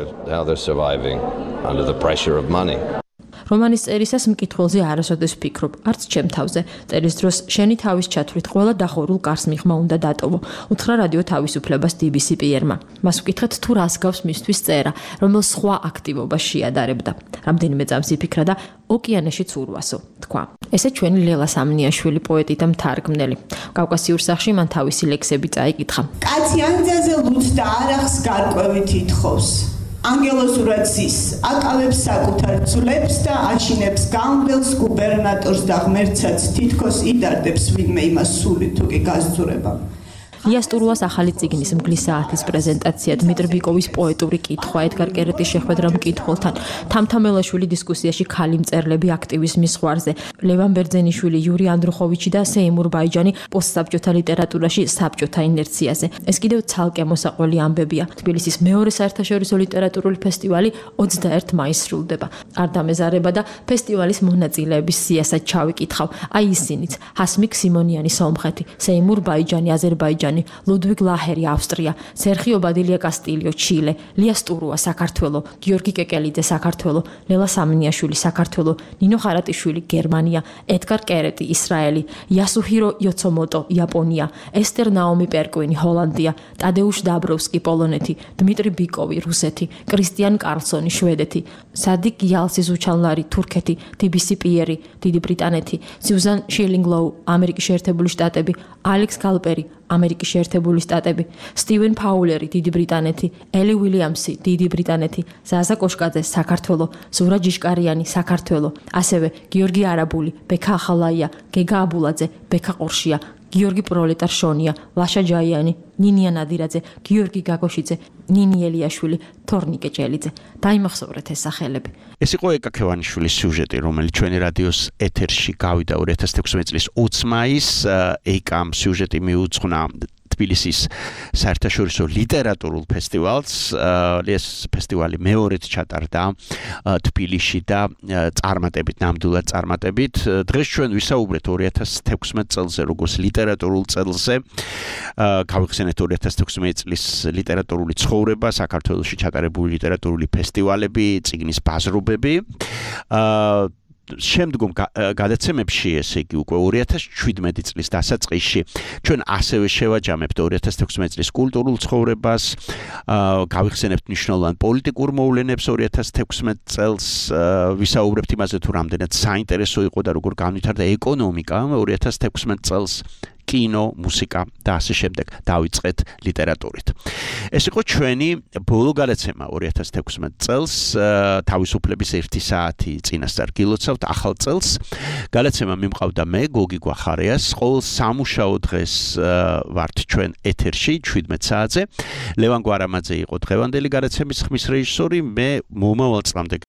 რომანის წერისას მკითხველზე არასოდეს ვფიქრობ, არც ჩემ თავზე. წერის დროს შენი თავის ჩათვლით ყველა დახურულ კარს მიღმა უნდა დატოვო. უთხრა რადიო თავისუფლებას DBC პიერმა. მას ვკითხეთ თუ რას გავს მისთვის წერა, რომელ სხვა აქტივობას შეადარებდა. რამდენიმე წამს იფიქრა და ოკეანეშიც ურვასო, თქვა. ესე ჩვენი ლელა სამნიაშვილი პოეტი და მთარგმნელი. კავკასიურ სახლში მან თავისი ლექსები წაიკითხა. კაცი ანძაზე ლუდს და არახს გარკვევით ითხოვს. ანგელოზურად ზის, აკავებს საკუთარ ძვლებს და აშინებს გამბელს გუბერნატორს და ღმერთსაც თითქოს იდარდებს ვინმე იმას სული თუ კი გასძურება. იასტურუას ახალი წიგნის მგლის საათის პრეზენტაცია, დმიტრი ბიკოვის პოეტური კითხვა, ედგარ კერეტის შეხვედრა მკითხველთან, თამთამელაშვილი დისკუსიაში ქალი მწერლები აქტივიზმის ზღვარზე, ლევან ბერძენიშვილი, იური ანდროხოვიჩი და სეიმურ ბაიჯანი პოსტსაბჭოთა ლიტერატურაში საბჭოთა ინერციაზე. ეს კიდევ ცალკე მოსაყველი ამბებია. თბილისის მეორე საერთაშორისო ლიტერატურული ფესტივალი 21 მაისს სრულდება. არ დამეზარება და ფესტივალის მონაწილეების სიასაც ჩავიკითხავ. აი ისინიც: ჰასმიკ სიმონიანი სომხეთი, სეიმურ ბაიჯანი აზერბაიჯანი, ლუდვიგ ლაჰერი ავსტრია, სერხიო ბადილია კასტილიო ჩილე, ლია სტურუა საქართველო, გიორგი კეკელიძე საქართველო, ლელა სამნიაშვილი საქართველო, ნინო ხარატიშვილი გერმანია, ედგარ კერეტი ისრაელი, იასუჰირო იოცომოტო იაპონია, ესტერ ნაომი პერკვინი ჰოლანდია, ტადეუშ დაბროვსკი პოლონეთი, დმიტრი ბიკოვი რუსეთი, კრისტიან კარლსონი შვედეთი, სადიკ იალსი ზუჩანლარი თურქეთი, DBC პიერი დიდი ბრიტანეთი, სიუზან შილინგლოუ ამერიკის შეერთებული შტატები, ალექს გალპერი ამერიკის შეერთებული შტატები, სტივენ ფაულერი დიდი ბრიტანეთი, ელი უილიამსი დიდი ბრიტანეთი, ზაზა კოშკაძე საქართველო, ზურა ჯიშკარიანი საქართველო, ასევე გიორგი არაბული, ბექა ახალაია, გეგა აბულაძე, ბექა ყორშია, გიორგი პროლეტარშონია, ლაშა ჯაიანი, ნინია ნადირაძე, გიორგი გაგოშიძე, ნინი ელიაშვილი, თორნიკე ჭელიძე. დაიმახსოვრეთ ეს სახელები. ეს იყო ეკა ქევანიშვილის სიუჟეტი, რომელიც ჩვენი რადიოს ეთერში გავიდა 2016 წლის 20 მაისს. ეკამ სიუჟეტი მიუძღვნა თბილისის საერთაშორისო ლიტერატურულ ფესტივალს. ეს ფესტივალი მეორედ ჩატარდა თბილისში და წარმატებით, ნამდვილად წარმატებით. დღეს ჩვენ ვისაუბრეთ 2016 წელზე, როგორც ლიტერატურულ წელზე. გავიხსენეთ 2016 წლის ლიტერატურული ცხოვრება, საქართველოში ჩატარებული ლიტერატურული ფესტივალები, წიგნის ბაზრობები. შემდგომ გადაცემებში, ესე იგი უკვე 2017 წლის დასაწყისში, ჩვენ ასევე შევაჯამებთ 2016 წლის კულტურულ ცხოვრებას, გავიხსენებთ მნიშვნელოვან პოლიტიკურ მოვლენებს 2016 წელს, ვისაუბრებთ იმაზე, თუ რამდენად საინტერესო იყო და როგორ განვითარდა ეკონომიკა 2016 წელს. კინო, მუსიკა და ასე შემდეგ დავიწყეთ ლიტერატურით. ეს იყო ჩვენი ბოლო გადაცემა 2016 წელს, თავისუფლების 1 საათი წინასწარ გილოცავთ ახალ წელს. გადაცემა მიმყავდა მე, გოგი გვახარიას, ყოველ სამუშაო დღეს ვართ ჩვენ ეთერში 17 საათზე. ლევან გვარამაძე იყო დღევანდელი გადაცემის ხმის რეჟისორი, მე მომავალ წლამდე